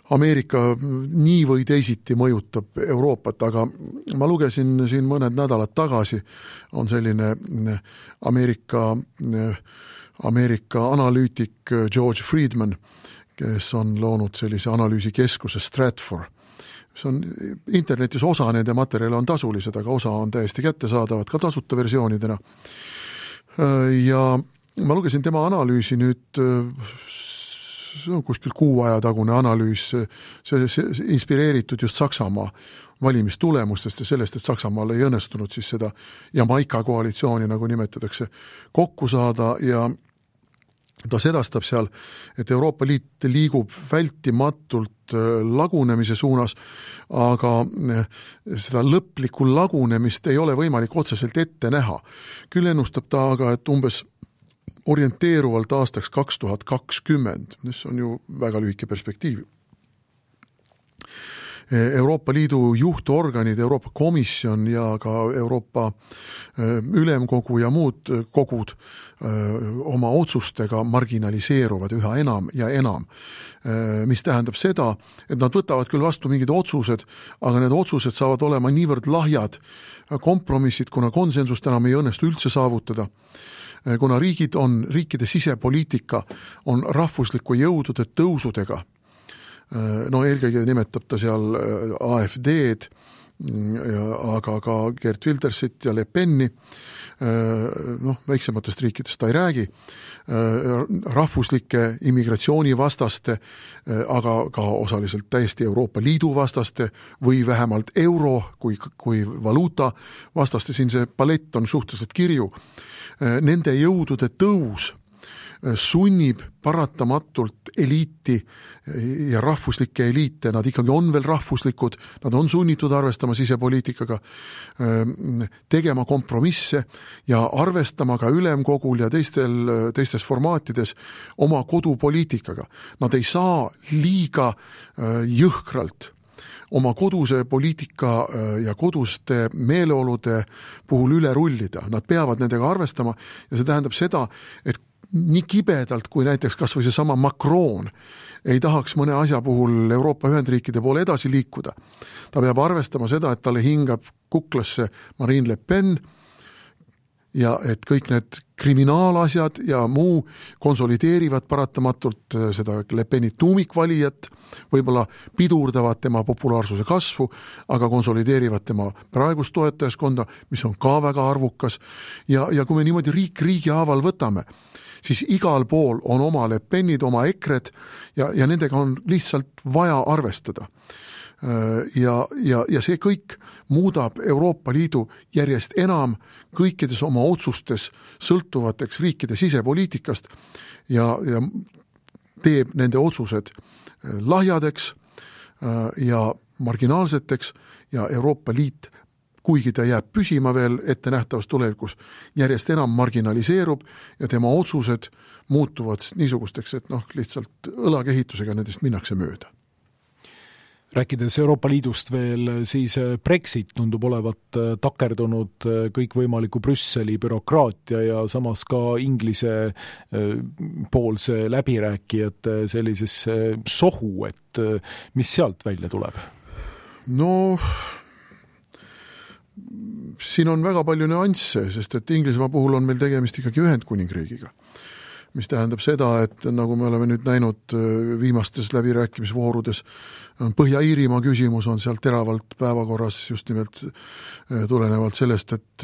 Ameerika nii või teisiti mõjutab Euroopat, aga ma lugesin siin mõned nädalad tagasi, on selline Ameerika analüütik George Friedman, kes on loonud sellise analüüsikeskuse Stratfor. See on internetis, osa nende materjale on tasulised, aga osa on täiesti kättesaadavad ka tasuta versioonidena. Ja ma lugesin tema analüüsi nüüd, see on kuskil kuu aja tagune analüüs, see inspireeritud just Saksamaa valimistulemustest ja sellest, et Saksamaal ei õnnestunud siis seda Jamaica koalitsiooni, nagu nimetatakse, kokku saada ja ta sedastab seal, et Euroopa Liit liigub vältimatult lagunemise suunas, aga seda lõplikku lagunemist ei ole võimalik otseselt ette näha. Küll ennustab ta aga, et umbes orienteeruvalt aastaks 2020, mis on ju väga lühike perspektiiv. Euroopa Liidu juhtorganid, Euroopa Komisjon ja ka Euroopa Ülemkogu ja muud kogud oma otsustega marginaliseeruvad üha enam ja enam, mis tähendab seda, et nad võtavad küll vastu mingid otsused, aga need otsused saavad olema niivõrd lahjad kompromissid, kuna konsensust enam ei õnnestu üldse saavutada, kuna riikide sisepoliitika on rahvusliku jõudude tõusudega. No eelkõige nimetab ta seal AfD-d, aga ka Geert Wildersit ja Le Peni, väiksematest riikidest ta ei räägi, rahvuslike immigratsioonivastaste, aga ka osaliselt täiesti Euroopa Liidu vastaste või vähemalt euro kui valuuta vastaste, siin see palett on suhteliselt kirju. Nende jõudude tõus sunnib paratamatult eliiti ja rahvuslikke eliite, nad ikkagi on veel rahvuslikud, nad on sunnitud arvestama sisepoliitikaga, tegema kompromisse ja arvestama ka ülemkogul ja teistes formaatides oma kodupoliitikaga. Nad ei saa liiga jõhkralt oma koduse poliitika ja koduste meeleolude puhul üle rullida. Nad peavad nendega arvestama ja see tähendab seda, et nii kibedalt, kui näiteks kas või see sama Macron ei tahaks mõne asja puhul Euroopa Ühendriikide poole edasi liikuda. Ta peab arvestama seda, et talle hingab kuklasse Marine Le Pen ja et kõik need kriminaalasjad ja muu konsolideerivad paratamatult seda Le Peni tuumikvalijat, võib-olla pidurdavad tema populaarsuse kasvu, aga konsolideerivad tema praegust toetajaskonda, mis on ka väga arvukas. Ja kui me niimoodi riigi haaval võtame, siis igal pool on oma Le Penid, oma EKRE-d ja nendega on lihtsalt vaja arvestada. Ja see kõik muudab Euroopa Liidu järjest enam kõikides oma otsustes sõltuvateks riikide sisepoliitikast ja teeb nende otsused lahjadeks ja marginaalseteks ja Euroopa Liit, kuigi ta jääb püsima veel ettenähtavas tulevikus, järjest enam marginaliseerub ja tema otsused muutuvad niisugusteks, et lihtsalt õlakehitusega nendest minnakse mööda. Rääkides Euroopa Liidust veel, siis Brexit tundub olevat takerdunud kõikvõimaliku Brüsseli bürokraatia ja samas ka Inglise poolse läbirääkijate sellisesse sohu, et mis sealt välja tuleb? No siin on väga palju nüansse, sest et Inglismaa puhul on meil tegemist ikkagi Ühendkuningriigiga, mis tähendab seda, et nagu me oleme nüüd näinud viimastes läbirääkimisvoorudes, Põhja-Iirimaa küsimus on seal teravalt päevakorras just nimelt tulenevalt sellest, et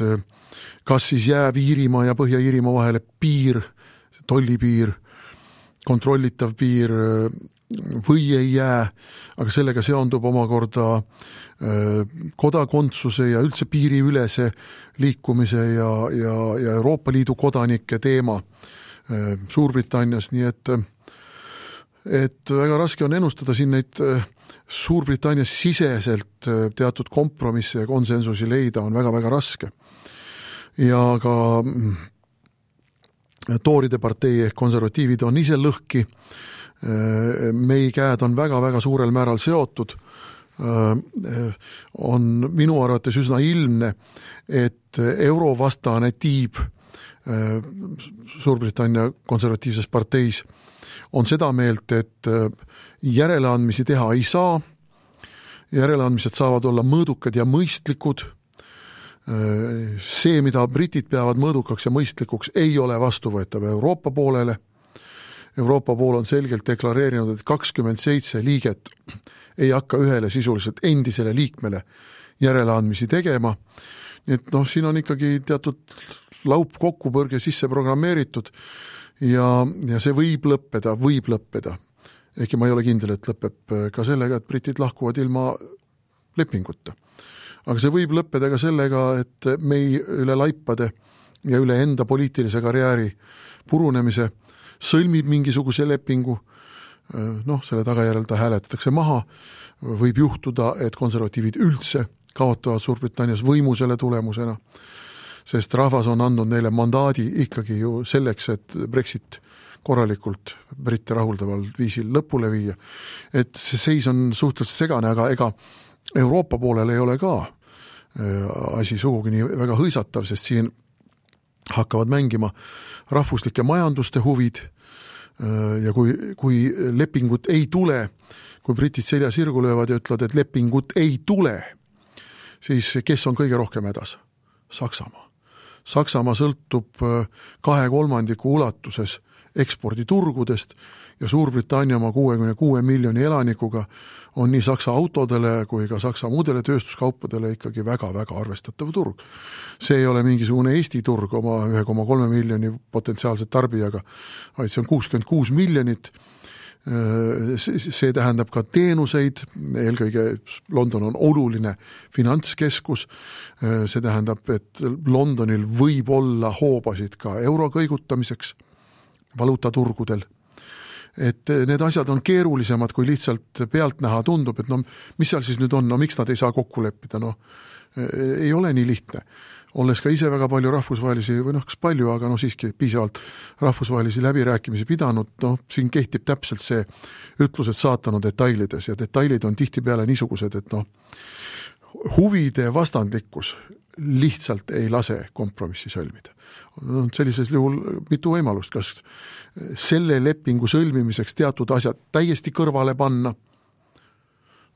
kas siis jääb Iirimaa ja Põhja-Iirimaa vahele piir, tollipiir, kontrollitav piir või ei jää, aga sellega seondub omakorda kodakondsuse ja üldse piiriülese liikumise ja Euroopa Liidu kodanike teema Suurbritannias, nii et väga raske on ennustada siin neid Suurbritannias siseselt teatud kompromisse ja konsensusi leida on väga-väga raske. Ja ka Tooride partei ehk konservatiivid on ise lõhki, meie käed on väga-väga suurel määral seotud, on minu arvates üsna ilmne, et eurovastane tiib Suurbritannia konservatiivses parteis on seda meelt, et järeleandmisi teha ei saa, järeleandmised saavad olla mõõdukad ja mõistlikud. See, mida britid peavad mõõdukaks ja mõistlikuks, ei ole vastuvõetav Euroopa poolele. Euroopa pool on selgelt deklareerinud, et 27 liiget ei hakka ühele sisuliselt endisele liikmele järeleandmisi tegema. Nii et siin on ikkagi teatud laup kokkupõrge sisse programmeeritud ja see võib lõppeda. Ehkki ma ei ole kindel, et lõpeb ka sellega, et britid lahkuvad ilma lepinguta. Aga see võib lõppeda ka sellega, et mei üle laipade ja üle enda poliitilise karjääri purunemise sõlmib mingisuguse lepingu, selle tagajärjel ta hääletatakse maha, võib juhtuda, et konservatiivid üldse kaotavad Suurbritannias võimu selle tulemusena, sest rahvas on andnud neile mandaadi ikkagi ju selleks, et Brexit korralikult britte rahuldaval viisil lõpule viia. Et see seis on suhteliselt segane, aga ega Euroopa poolel ei ole ka asi sugugi nii väga hõisatav, sest siin hakkavad mängima rahvuslike majanduste huvid ja kui lepingut ei tule, kui britid selja sirgu löövad ja ütlevad, et lepingut ei tule, siis kes on kõige rohkem hädas? Saksamaa. Saksamaa sõltub 2/3 ulatuses eksporditurgudest ja Suurbritannia oma 66 miljoni elanikuga on nii Saksa autodele kui ka Saksa muudele tööstuskaupadele ikkagi väga-väga arvestatav turg. See ei ole mingisugune Eesti turg oma 1,3 miljoni potentsiaalset tarbijaga, vaid see on 66 miljonit. See tähendab ka teenuseid, eelkõige London on oluline finantskeskus, see tähendab, et Londonil võib olla hoobasid ka euro kõigutamiseks valuutaturgudel. Et need asjad on keerulisemad, kui lihtsalt pealtnäha tundub, et mis seal siis nüüd on, miks nad ei saa kokku leppida, ei ole nii lihtne. Olles ka ise väga palju rahvusvahelisi, või kas palju, aga siiski piisavalt rahvusvahelisi läbirääkimisi pidanud, siin kehtib täpselt see ütlus, et saatan on detailides ja detailid on tihtipeale niisugused, et huvide vastandlikkus lihtsalt ei lase kompromissi sõlmida. Sellises juhul mitu võimalust, kas selle lepingu sõlmimiseks teatud asjad täiesti kõrvale panna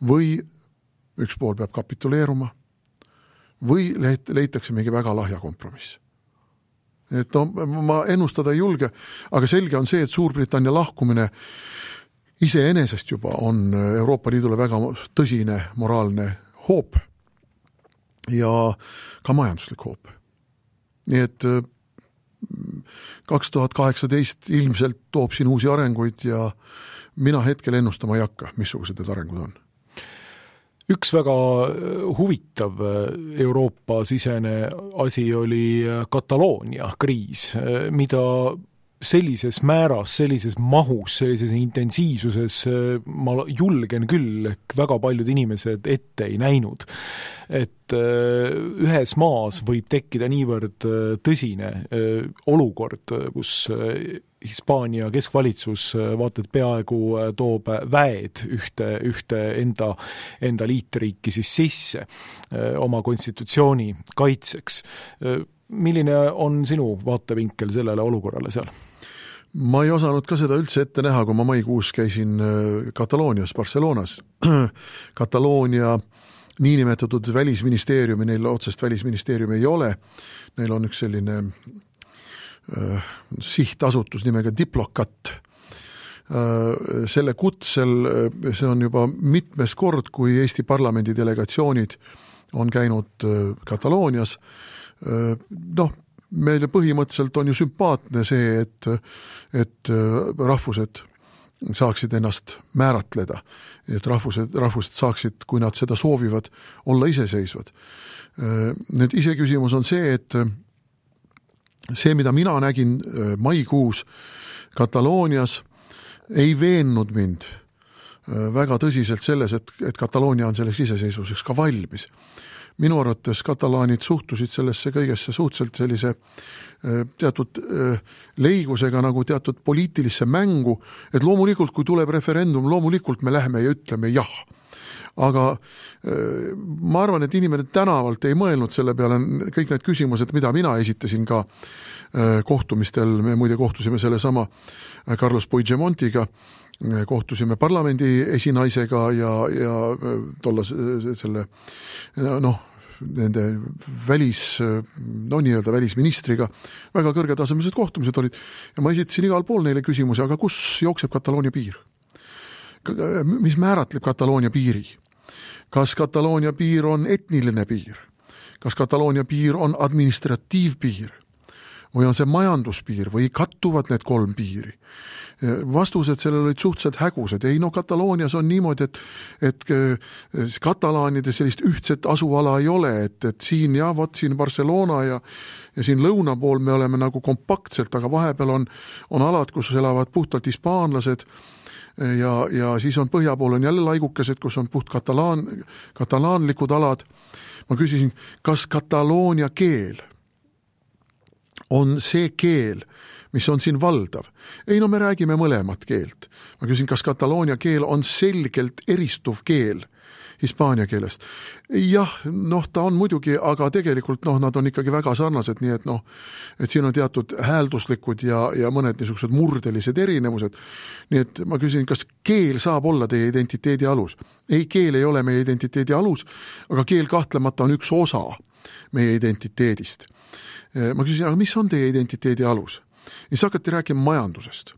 või üks pool peab kapituleeruma või leitakse mingi väga lahja kompromiss. Et ma ennustada ei julge, aga selge on see, et Suurbritannia lahkumine iseenesest juba on Euroopa Liidule väga tõsine moraalne hoop ja ka majanduslik hoop. Nii et 2018 ilmselt toob siin uusi arenguid ja mina hetkel ennustama ei hakka, missugused need arengud on. Üks väga huvitav Euroopa-sisene asi oli Kataloonia kriis, mida sellises määras, sellises mahus, sellises intensiivsuses ma julgen küll, väga paljud inimesed ette ei näinud. Et ühes maas võib tekkida niivõrd tõsine olukord, kus Hispaania keskvalitsus vaata, et peaaegu toob väed ühte enda liitriiki siis sisse oma konstitutsiooni kaitseks. Milline on sinu vaatevinkel sellele olukorrale seal? Ma ei osanud ka seda üldse ette näha, kui ma maikuus käisin Kataloonias, Barcelonas. Kataloonia niinimetatud välisministeeriumi, neil otsest välisministeeriumi ei ole. Neil on üks selline sihtasutus nimega Diplocat. Selle kutsel, see on juba mitmes kord, kui Eesti parlamendi delegatsioonid on käinud Kataloonias. Meile põhimõtteliselt on ju sümpaatne see, et rahvused saaksid ennast määratleda, et rahvused saaksid, kui nad seda soovivad, olla iseseisvad. Nüüd iseküsimus on see, et see, mida mina nägin maikuus Kataloonias, ei veennud mind väga tõsiselt selles, et Kataloonia on selleks iseseisvuseks ka valmis. Minu arvates katalaanid suhtusid sellesse kõigesse suhteliselt sellise teatud leigusega nagu teatud poliitilisse mängu, et loomulikult, kui tuleb referendum, loomulikult me läheme ja ütleme jah. Aga ma arvan, et inimene tänavalt ei mõelnud selle peale kõik need küsimused, mida mina esitasin ka kohtumistel, me muide kohtusime selle sama Carlos Puigdemontiga, kohtusime parlamendi esinaisega ja tolla selle nende nii-öelda välisministriga, väga kõrgetasemelised kohtumised olid ja ma esitasin igal pool neile küsimusi, aga kus jookseb Kataloonia piir? Mis määratleb Kataloonia piiri? Kas Kataloonia piir on etniline piir? Kas Kataloonia piir on administratiivpiir? Või on see majanduspiir või kattuvad need kolm piiri? Vastused sellel olid suhteliselt hägused. Ei, Kataloonias on niimoodi, et katalaanide sellist ühtset asuala ei ole, et siin siin Barcelona ja siin lõuna pool me oleme nagu kompaktselt, aga vahepeal on alad, kus elavad puhtalt hispaanlased ja siis on põhja pool on jälle laigukesed, kus on puht katalaanlikud alad. Ma küsisin, kas Kataloonia keel on see keel, mis on siin valdav? Ei, me räägime mõlemat keelt. Ma küsin, kas Kataloonia keel on selgelt eristuv keel hispaania keelest? Jah, ta on muidugi, aga tegelikult nad on ikkagi väga sarnased, nii et siin on teatud häälduslikud ja mõned niisugused murdelised erinevused. Nii et ma küsin, kas keel saab olla teie identiteedi alus? Ei, keel ei ole meie identiteedi alus, aga keel kahtlemata on üks osa meie identiteedist. Ma küsin, aga mis on teie identiteedi alus? Ja siis hakati rääkima majandusest.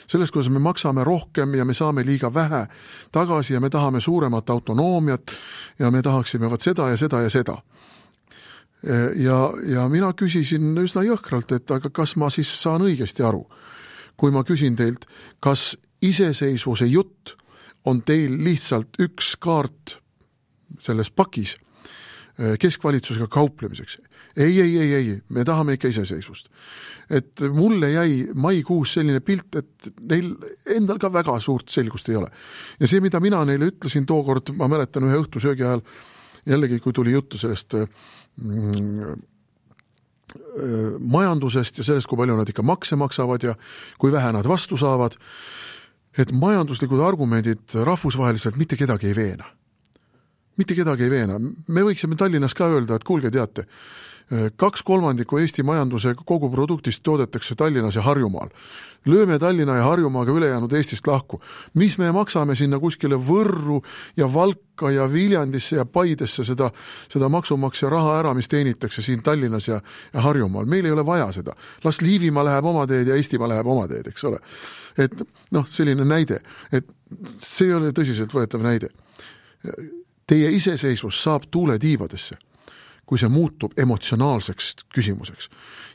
Sellest, kuidas me maksame rohkem ja me saame liiga vähe tagasi ja me tahame suuremat autonoomiat ja me tahaksime seda ja seda ja seda. Ja mina küsisin üsna jõhkralt, et aga kas ma siis saan õigesti aru, kui ma küsin teilt, kas iseseisvuse jutt on teil lihtsalt üks kaart selles pakis keskvalitsusega kauplemiseks? Ei, me tahame ikka iseseisvust. Et mulle jäi maikuus selline pilt, et neil endal ka väga suurt selgust ei ole. Ja see, mida mina neile ütlesin tookord, ma mäletan ühe õhtusöögi ajal, jällegi kui tuli juttu sellest majandusest ja sellest, kui palju nad ikka makse maksavad ja kui vähe nad vastu saavad, et majanduslikud argumendid rahvusvaheliselt mitte kedagi ei veena. Mitte kedagi ei veena. Me võiksime Tallinnas ka öelda, et kuulge, teate, 2/3 Eesti majanduse kogu produktist toodetakse Tallinnas ja Harjumaal. Lööme Tallinna ja Harjumaaga ülejäänud Eestist lahku. Mis me maksame sinna kuskile Võrru ja Valka ja Viljandisse ja Paidesse seda maksumaksja raha ära, mis teenitakse siin Tallinnas ja Harjumaal. Meil ei ole vaja seda. Las Liivimaa läheb oma teed ja Eestimaa läheb oma teed, eks ole. Et selline näide, et see ei ole tõsiselt võetav näide. Teie iseseisvus saab tuule tiibadesse, kui see muutub emotsionaalseks küsimuseks.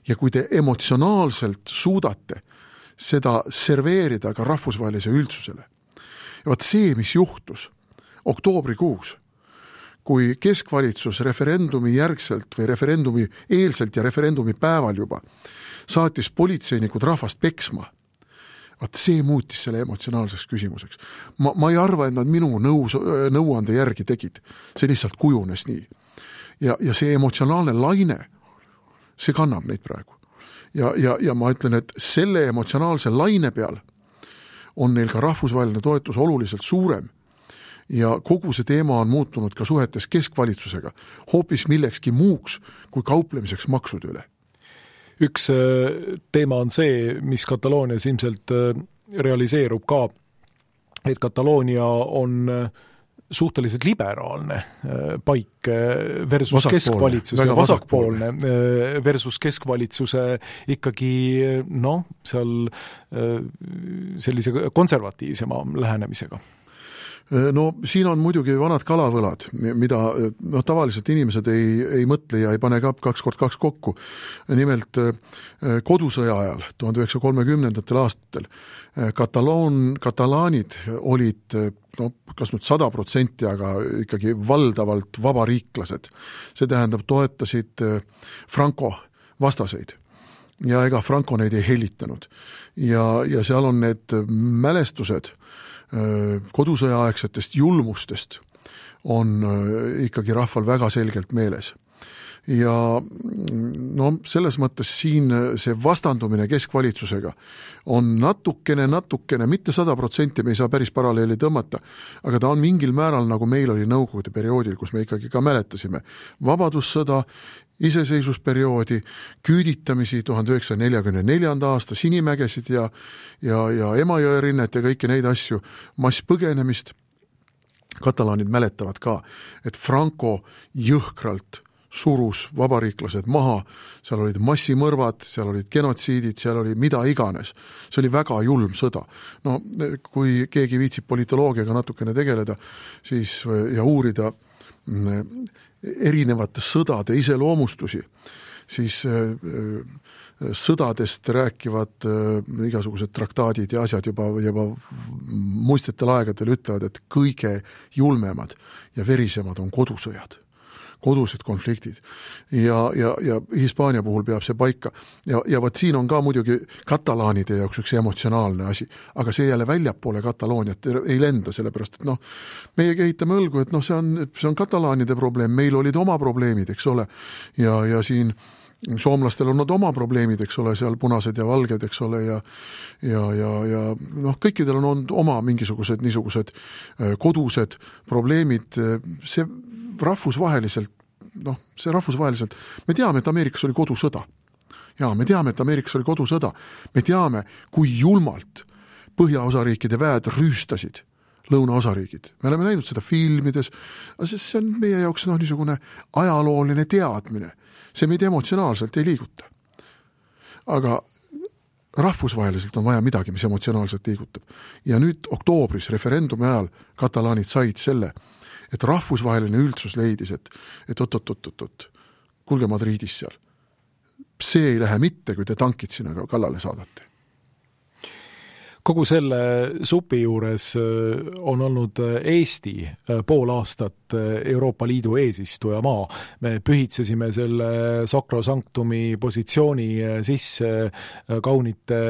Ja kui te emotsionaalselt suudate seda serveerida ka rahvusvahelise üldsusele. Ja vaat see, mis juhtus oktoobrikuus, kui keskvalitsus referendumi järgselt või referendumi eelselt ja referendumi päeval juba saatis politseinikud rahvast peksma, vaat see muutis selle emotsionaalseks küsimuseks. Ma ei arva, et nad minu nõuande järgi tegid. See lihtsalt kujunes nii. Ja see emotsionaalne laine, see kannab neid praegu. Ja ma ütlen, et selle emotsionaalse laine peal on neil ka rahvusvaheline toetus oluliselt suurem ja kogu see teema on muutunud ka suhetes keskvalitsusega hoopis millekski muuks kui kauplemiseks maksude üle. Üks teema on see, mis Kataloonias ilmselt realiseerub ka, et Kataloonia on suhteliselt liberaalne paik versus keskvalitsuse, vasakpoolne versus keskvalitsuse ikkagi seal sellise konservatiivsema lähenemisega. Siin on muidugi vanad kalavõlad, mida tavaliselt inimesed ei mõtle ja ei pane ka 2x2 kokku. Nimelt kodusõja ajal 1930. aastatel katalaanid olid kas nüüd 100%, aga ikkagi valdavalt vabariiklased. See tähendab, toetasid Franco vastaseid ja ega Franco neid ei hellitanud. Ja seal on need mälestused kodusõjaaegsetest julmustest on ikkagi rahval väga selgelt meeles. ja no selles mõttes siin see vastandumine keskvalitsusega on natukene, mitte 100%, me ei saa päris paralleeli tõmmata, aga ta on mingil määral, nagu meil oli nõukogude perioodil, kus me ikkagi ka mäletasime vabadussõda, iseseisvusperioodi, küüditamisi 1944. aasta Sinimägesid ja Emajõe rinnet ja kõiki neid asju, masspõgenemist. Katalaanid mäletavad ka, et Franco jõhkralt surus vabariiklased maha, seal olid massimõrvad, seal olid genotsiidid, seal oli mida iganes. See oli väga julm sõda. No kui keegi viitsib politoloogiaga natukene tegeleda siis, ja uurida erinevate sõdade iseloomustusi, siis sõdadest rääkivad igasugused traktaadid ja asjad juba muistsetel aegadel ütlevad, et kõige julmemad ja verisemad on kodusõjad. Kodused konfliktid ja Hispaania puhul peab see paika ja võt siin on ka muidugi katalaanide jaoks üks emotsionaalne asi, aga see jälle väljapoole Katalooniat ei lenda, sellepärast et meie kehitame õlgu, et see on katalaanide probleem, meil olid oma probleemid, eks ole, ja siin soomlastel on nad oma probleemid, eks ole, seal punased ja valged, eks ole, ja kõikidel on olnud oma mingisugused niisugused kodused probleemid, see rahvusvaheliselt, me teame, et Ameerikas oli kodusõda. Jaa, me teame, et Ameerikas oli kodusõda. Me teame, kui julmalt põhjaosariikide väed rüüstasid lõunaosariigid. Me oleme näinud seda filmides, see on meie jaoks niisugune ajalooline teadmine. See meid emotsionaalselt ei liiguta. Aga rahvusvaheliselt on vaja midagi, mis emotsionaalselt liigutab. Ja nüüd oktoobris referendumi ajal katalaanid said selle, et rahvusvaheline üldsus leidis, et oot, kuulge Madridis seal. See ei lähe mitte, kui te tankid sinna kallale saadate. Kogu selle supi juures on olnud Eesti pool aastat Euroopa Liidu eesistujamaa. Me pühitsesime selle sakrosanktumi positsiooni sisse kaunite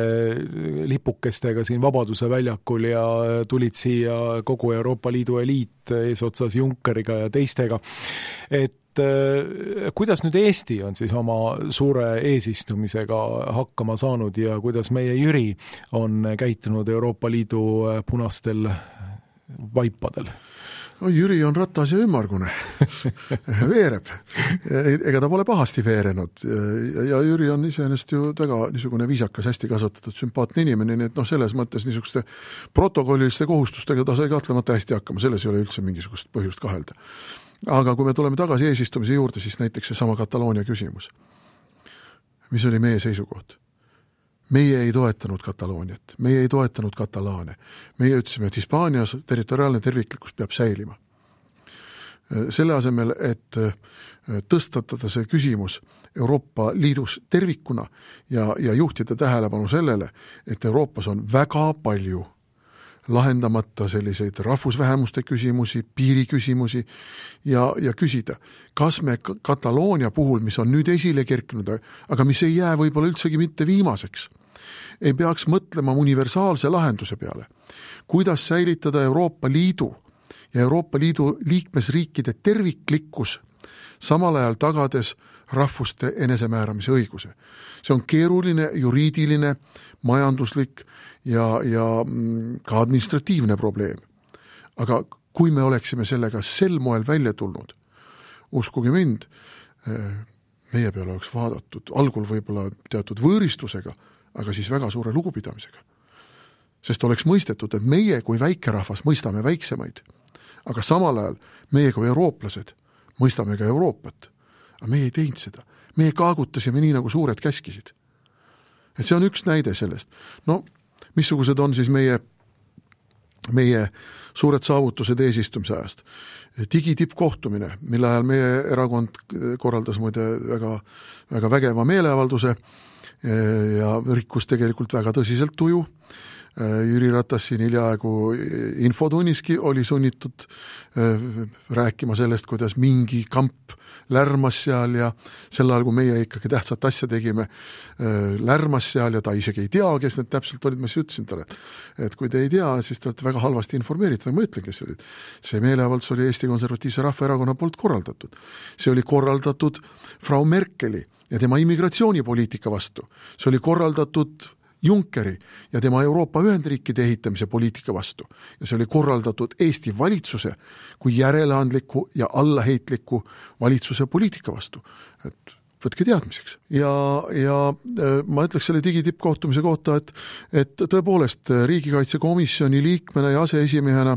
lipukestega siin Vabaduse väljakul ja tulid siia kogu Euroopa Liidu eliit eesotsas Junckeriga ja teistega. Et kuidas nüüd Eesti on siis oma suure eesistumisega hakkama saanud ja kuidas meie Jüri on käitunud Euroopa Liidu punastel vaipadel? No Jüri on ratas ja ümmargune. Veereb. Ega ta pole pahasti veerenud. Ja Jüri on iseenesest ju väga niisugune viisakas, hästi kasvatatud, sümpaatne inimene, nii et selles mõttes niisuguste protokolliliste kohustustega ta sai kahtlemata hästi hakkama. Selles ei ole üldse mingisugust põhjust kahelda. Aga kui me tuleme tagasi eesistumise juurde, siis näiteks see sama Kataloonia küsimus. Mis oli meie seisukoht? Meie ei toetanud Katalooniat, meie ei toetanud katalaane. Meie ütlesime, et Hispaanias territoriaalne terviklikkus peab säilima. Selle asemel, et tõstatada see küsimus Euroopa Liidus tervikuna ja juhtida tähelepanu sellele, et Euroopas on väga palju lahendamata selliseid rahvusvähemuste küsimusi, piiriküsimusi ja küsida, kas me Kataloonia puhul, mis on nüüd esile kerkinud, aga mis ei jää võib-olla üldsegi mitte viimaseks, ei peaks mõtlema universaalse lahenduse peale, kuidas säilitada Euroopa Liidu ja Euroopa Liidu liikmesriikide terviklikkus, samal ajal tagades rahvuste enesemääramise õiguse. See on keeruline, juriidiline, majanduslik ja ka administratiivne probleem. Aga kui me oleksime sellega sel moel välja tulnud, uskuge mind, meie peale oleks vaadatud algul võib-olla teatud võõristusega, aga siis väga suure lugupidamisega. Sest oleks mõistetud, et meie kui väikerahvas mõistame väiksemaid, aga samal ajal meie kui eurooplased mõistame ka Euroopat. Aga meie ei teinud seda. Meie kaagutasime nii, nagu suured käskisid. Et see on üks näide sellest. No, missugused on siis meie suured saavutused eesistumise ajast? Digitippkohtumine, mille ajal meie erakond korraldas muide väga, väga vägeva meeleavalduse ja rikkus tegelikult väga tõsiselt tuju. Jüri Ratas siin hiljaaegu infotunniski oli sunnitud rääkima sellest, kuidas mingi kamp lärmas seal ja sel ajal, kui meie ikkagi tähtsat asja tegime, lärmas seal ja ta isegi ei tea, kes need täpselt olid, ma siis ütlesin talle, et kui te ei tea, siis te olete väga halvasti informeeritud, ma ütlen, kes olid. See meeleavaldus oli Eesti Konservatiivse Rahvaerakonna poolt korraldatud. See oli korraldatud Frau Merkeli ja tema immigratsioonipoliitika vastu. See oli korraldatud Junckeri ja tema Euroopa Ühendriikide ehitamise poliitika vastu. Ja see oli korraldatud Eesti valitsuse kui järeleandliku ja allaheitliku valitsuse poliitika vastu. Et võtke teadmiseks. Ja ma ütleks selle digitippkohtumise kohta, et tõepoolest riigikaitsekomisjoni liikmena ja aseesimehena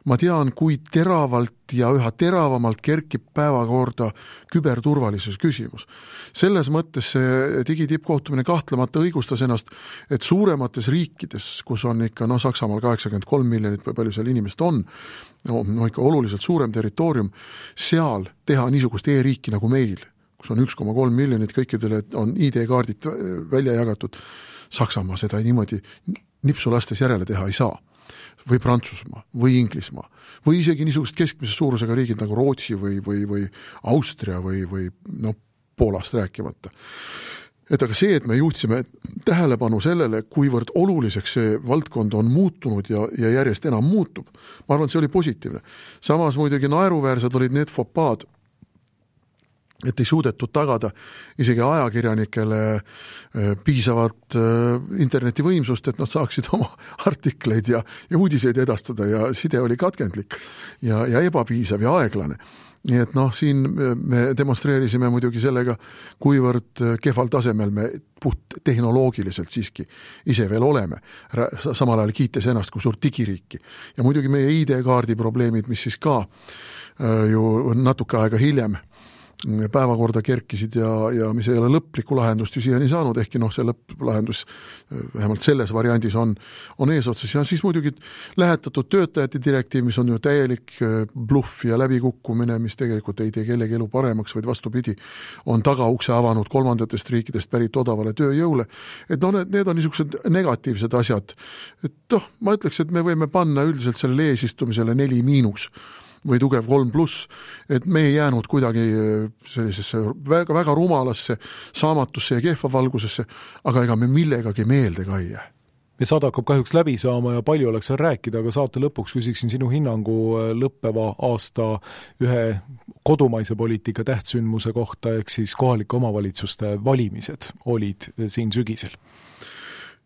ma tean, kui teravalt ja üha teravamalt kerkib päevakorda küberturvalisuse küsimus. Selles mõttes see digitippkohtumine kahtlemata õigustas ennast, et suuremates riikides, kus on ikka Saksamaal 83 miljonit või palju seal inimest on, ikka oluliselt suurem territoorium, seal teha niisugust e-riiki nagu meil, kus on 1,3 miljonit, kõikidele on ID-kaardid välja jagatud. Saksamaa seda niimoodi nipsu lastes järele teha ei saa. Või Prantsusmaa, või Inglismaa, või isegi niisugust keskmise suurusega riigid nagu Rootsi või Austria või Poolast rääkimata. Et aga see, et me juhtisime tähelepanu sellele, kuivõrd oluliseks see valdkond on muutunud ja järjest enam muutub, ma arvan, et see oli positiivne. Samas muidugi naeruväärsed olid need fopaad, et ei suudetud tagada isegi ajakirjanikele piisavat internetivõimsust, et nad saaksid oma artikleid ja uudiseid edastada ja side oli katkendlik ja ebapiisav ja aeglane. Nii et siin me demonstreerisime muidugi sellega, kuivõrd kehval tasemel me puht tehnoloogiliselt siiski ise veel oleme, samal ajal kiites ennast kui suurt digiriiki. Ja muidugi meie ID-kaardi probleemid, mis siis ka ju natuke aega hiljem päevakorda kerkisid ja mis ei ole lõplikku lahendust ju siiani saanud, ehkki see lõpplahendus vähemalt selles variandis on eesotsas. Ja siis muidugi lähetatud töötajate direktiiv, mis on ju täielik bluff ja läbikukkumine, mis tegelikult ei tee kellegi elu paremaks, vaid vastupidi, on tagaukse avanud kolmandatest riikidest pärit odavale tööjõule. Et need on niisugused negatiivsed asjad. Et ma ütleks, et me võime panna üldiselt sellele eesistumisele 4- või tugev 3+, et me ei jäänud kuidagi sellisesse väga, väga rumalasse saamatusse ja kehva valgusesse, aga ega me millegagi meelde ka ei jää. Me saade hakkab kahjuks läbi saama ja palju oleks seal rääkida, aga saate lõpuks küsiksin sinu hinnangu lõppeva aasta ühe kodumaise poliitika tähtsündmuse kohta, ehk siis kohalike omavalitsuste valimised olid siin sügisel.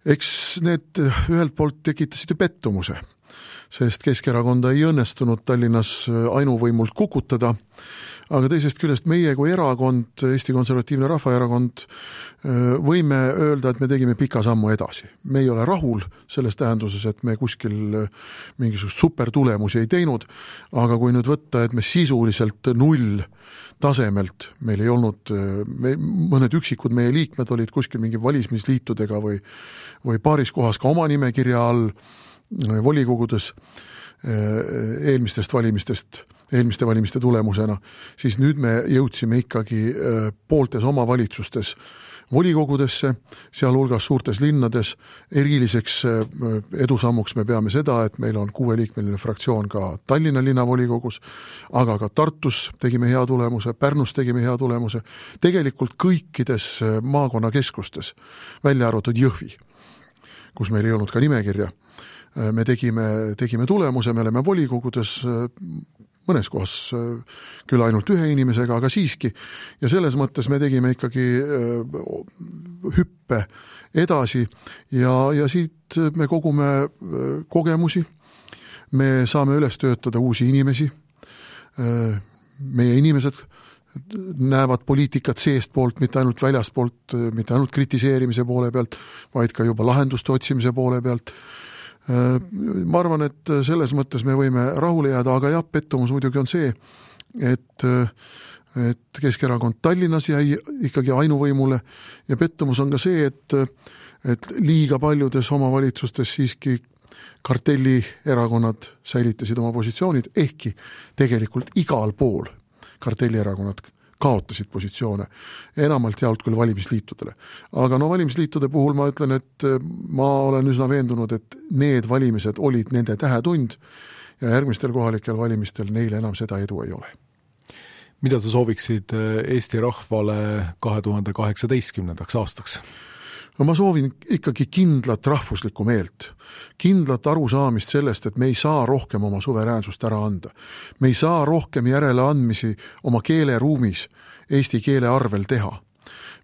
Eks need ühelt poolt tekitasid ju pettumuse, sest Keskerakonda ei õnnestunud Tallinnas ainuvõimult kukutada, aga teisest küljest meie kui erakond, Eesti Konservatiivne Rahvaerakond, võime öelda, et me tegime pika sammu edasi. Me ei ole rahul selles tähenduses, et me kuskil mingisugust supertulemusi ei teinud, aga kui nüüd võtta, et me sisuliselt 0 tasemelt, meil ei olnud, mõned üksikud meie liikmed olid kuskil mingi valimisliitudega või paaris kohas ka oma nimekirja all volikogudes eelmiste valimiste tulemusena, siis nüüd me jõudsime ikkagi pooltes omavalitsustes volikogudesse, sealhulgas suurtes linnades. Eriliseks edusammuks me peame seda, et meil on 6-liikmeline fraktsioon ka Tallinna linnavolikogus, aga ka Tartus tegime hea tulemuse, Pärnus tegime hea tulemuse, tegelikult kõikides maakonnakeskustes, välja arvatud Jõhvi, kus meil ei olnud ka nimekirja. Me tegime tulemuse, me oleme volikogudes mõnes kohas küll ainult ühe inimesega, aga siiski. Ja selles mõttes me tegime ikkagi hüppe edasi ja siit me kogume kogemusi. Me saame üles töötada uusi inimesi. Meie inimesed näevad poliitikat seest poolt, mitte ainult väljast poolt, mitte ainult kritiseerimise poole pealt, vaid ka juba lahenduste otsimise poole pealt. Ma arvan, et selles mõttes me võime rahule jääda, aga jah, pettumus muidugi on see, et Keskerakond Tallinnas jäi ikkagi ainuvõimule ja pettumus on ka see, et liiga paljudes omavalitsustes siiski kartellierakonnad säilitasid oma positsioonid, ehkki tegelikult igal pool kartellierakonnad kaotasid positsioone, enamalt jaolt küll valimisliitudele. Aga valimisliitude puhul ma ütlen, et ma olen üsna veendunud, et need valimised olid nende tähetund ja järgmistel kohalikel valimistel neil enam seda edu ei ole. Mida sa sooviksid Eesti rahvale 2018. aastaks? Ma soovin ikkagi kindlat rahvuslikku meelt, kindlat arusaamist sellest, et me ei saa rohkem oma suveräänsust ära anda. Me ei saa rohkem järeleandmisi oma keeleruumis eesti keele arvel teha.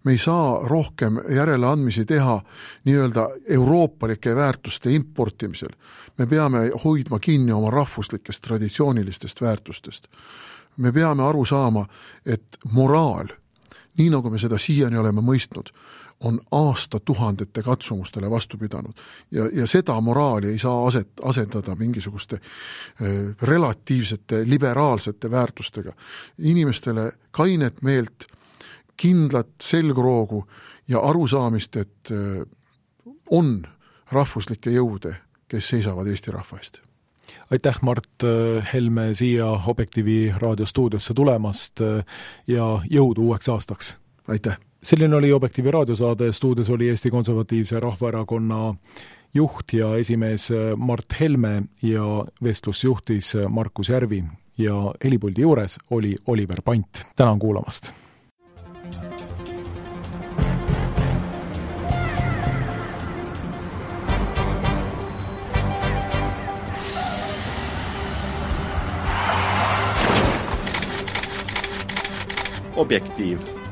Me ei saa rohkem järeleandmisi teha nii-öelda euroopalike väärtuste importimisel. Me peame hoidma kinni oma rahvuslikest traditsioonilistest väärtustest. Me peame aru saama, et moraal, nii nagu me seda siiani oleme mõistnud, on aastatuhandete katsumustele vastu pidanud. Ja seda moraali ei saa asendada mingisuguste relatiivsete, liberaalsete väärtustega. Inimestele kainet meelt, kindlat selgroogu ja arusaamist, et on rahvuslikke jõude, kes seisavad Eesti rahva eest. Aitäh, Mart Helme, siia Objektiivi raadiostuudiosse tulemast ja jõudu uueks aastaks. Aitäh! Selline oli Objektiivi raadiosaade, stuudios oli Eesti Konservatiivse Rahvaerakonna juht ja esimees Mart Helme ja vestlus juhtis Markus Järvi ja helipuldi juures oli Oliver Pant. Tänan kuulamast! Objektiiv.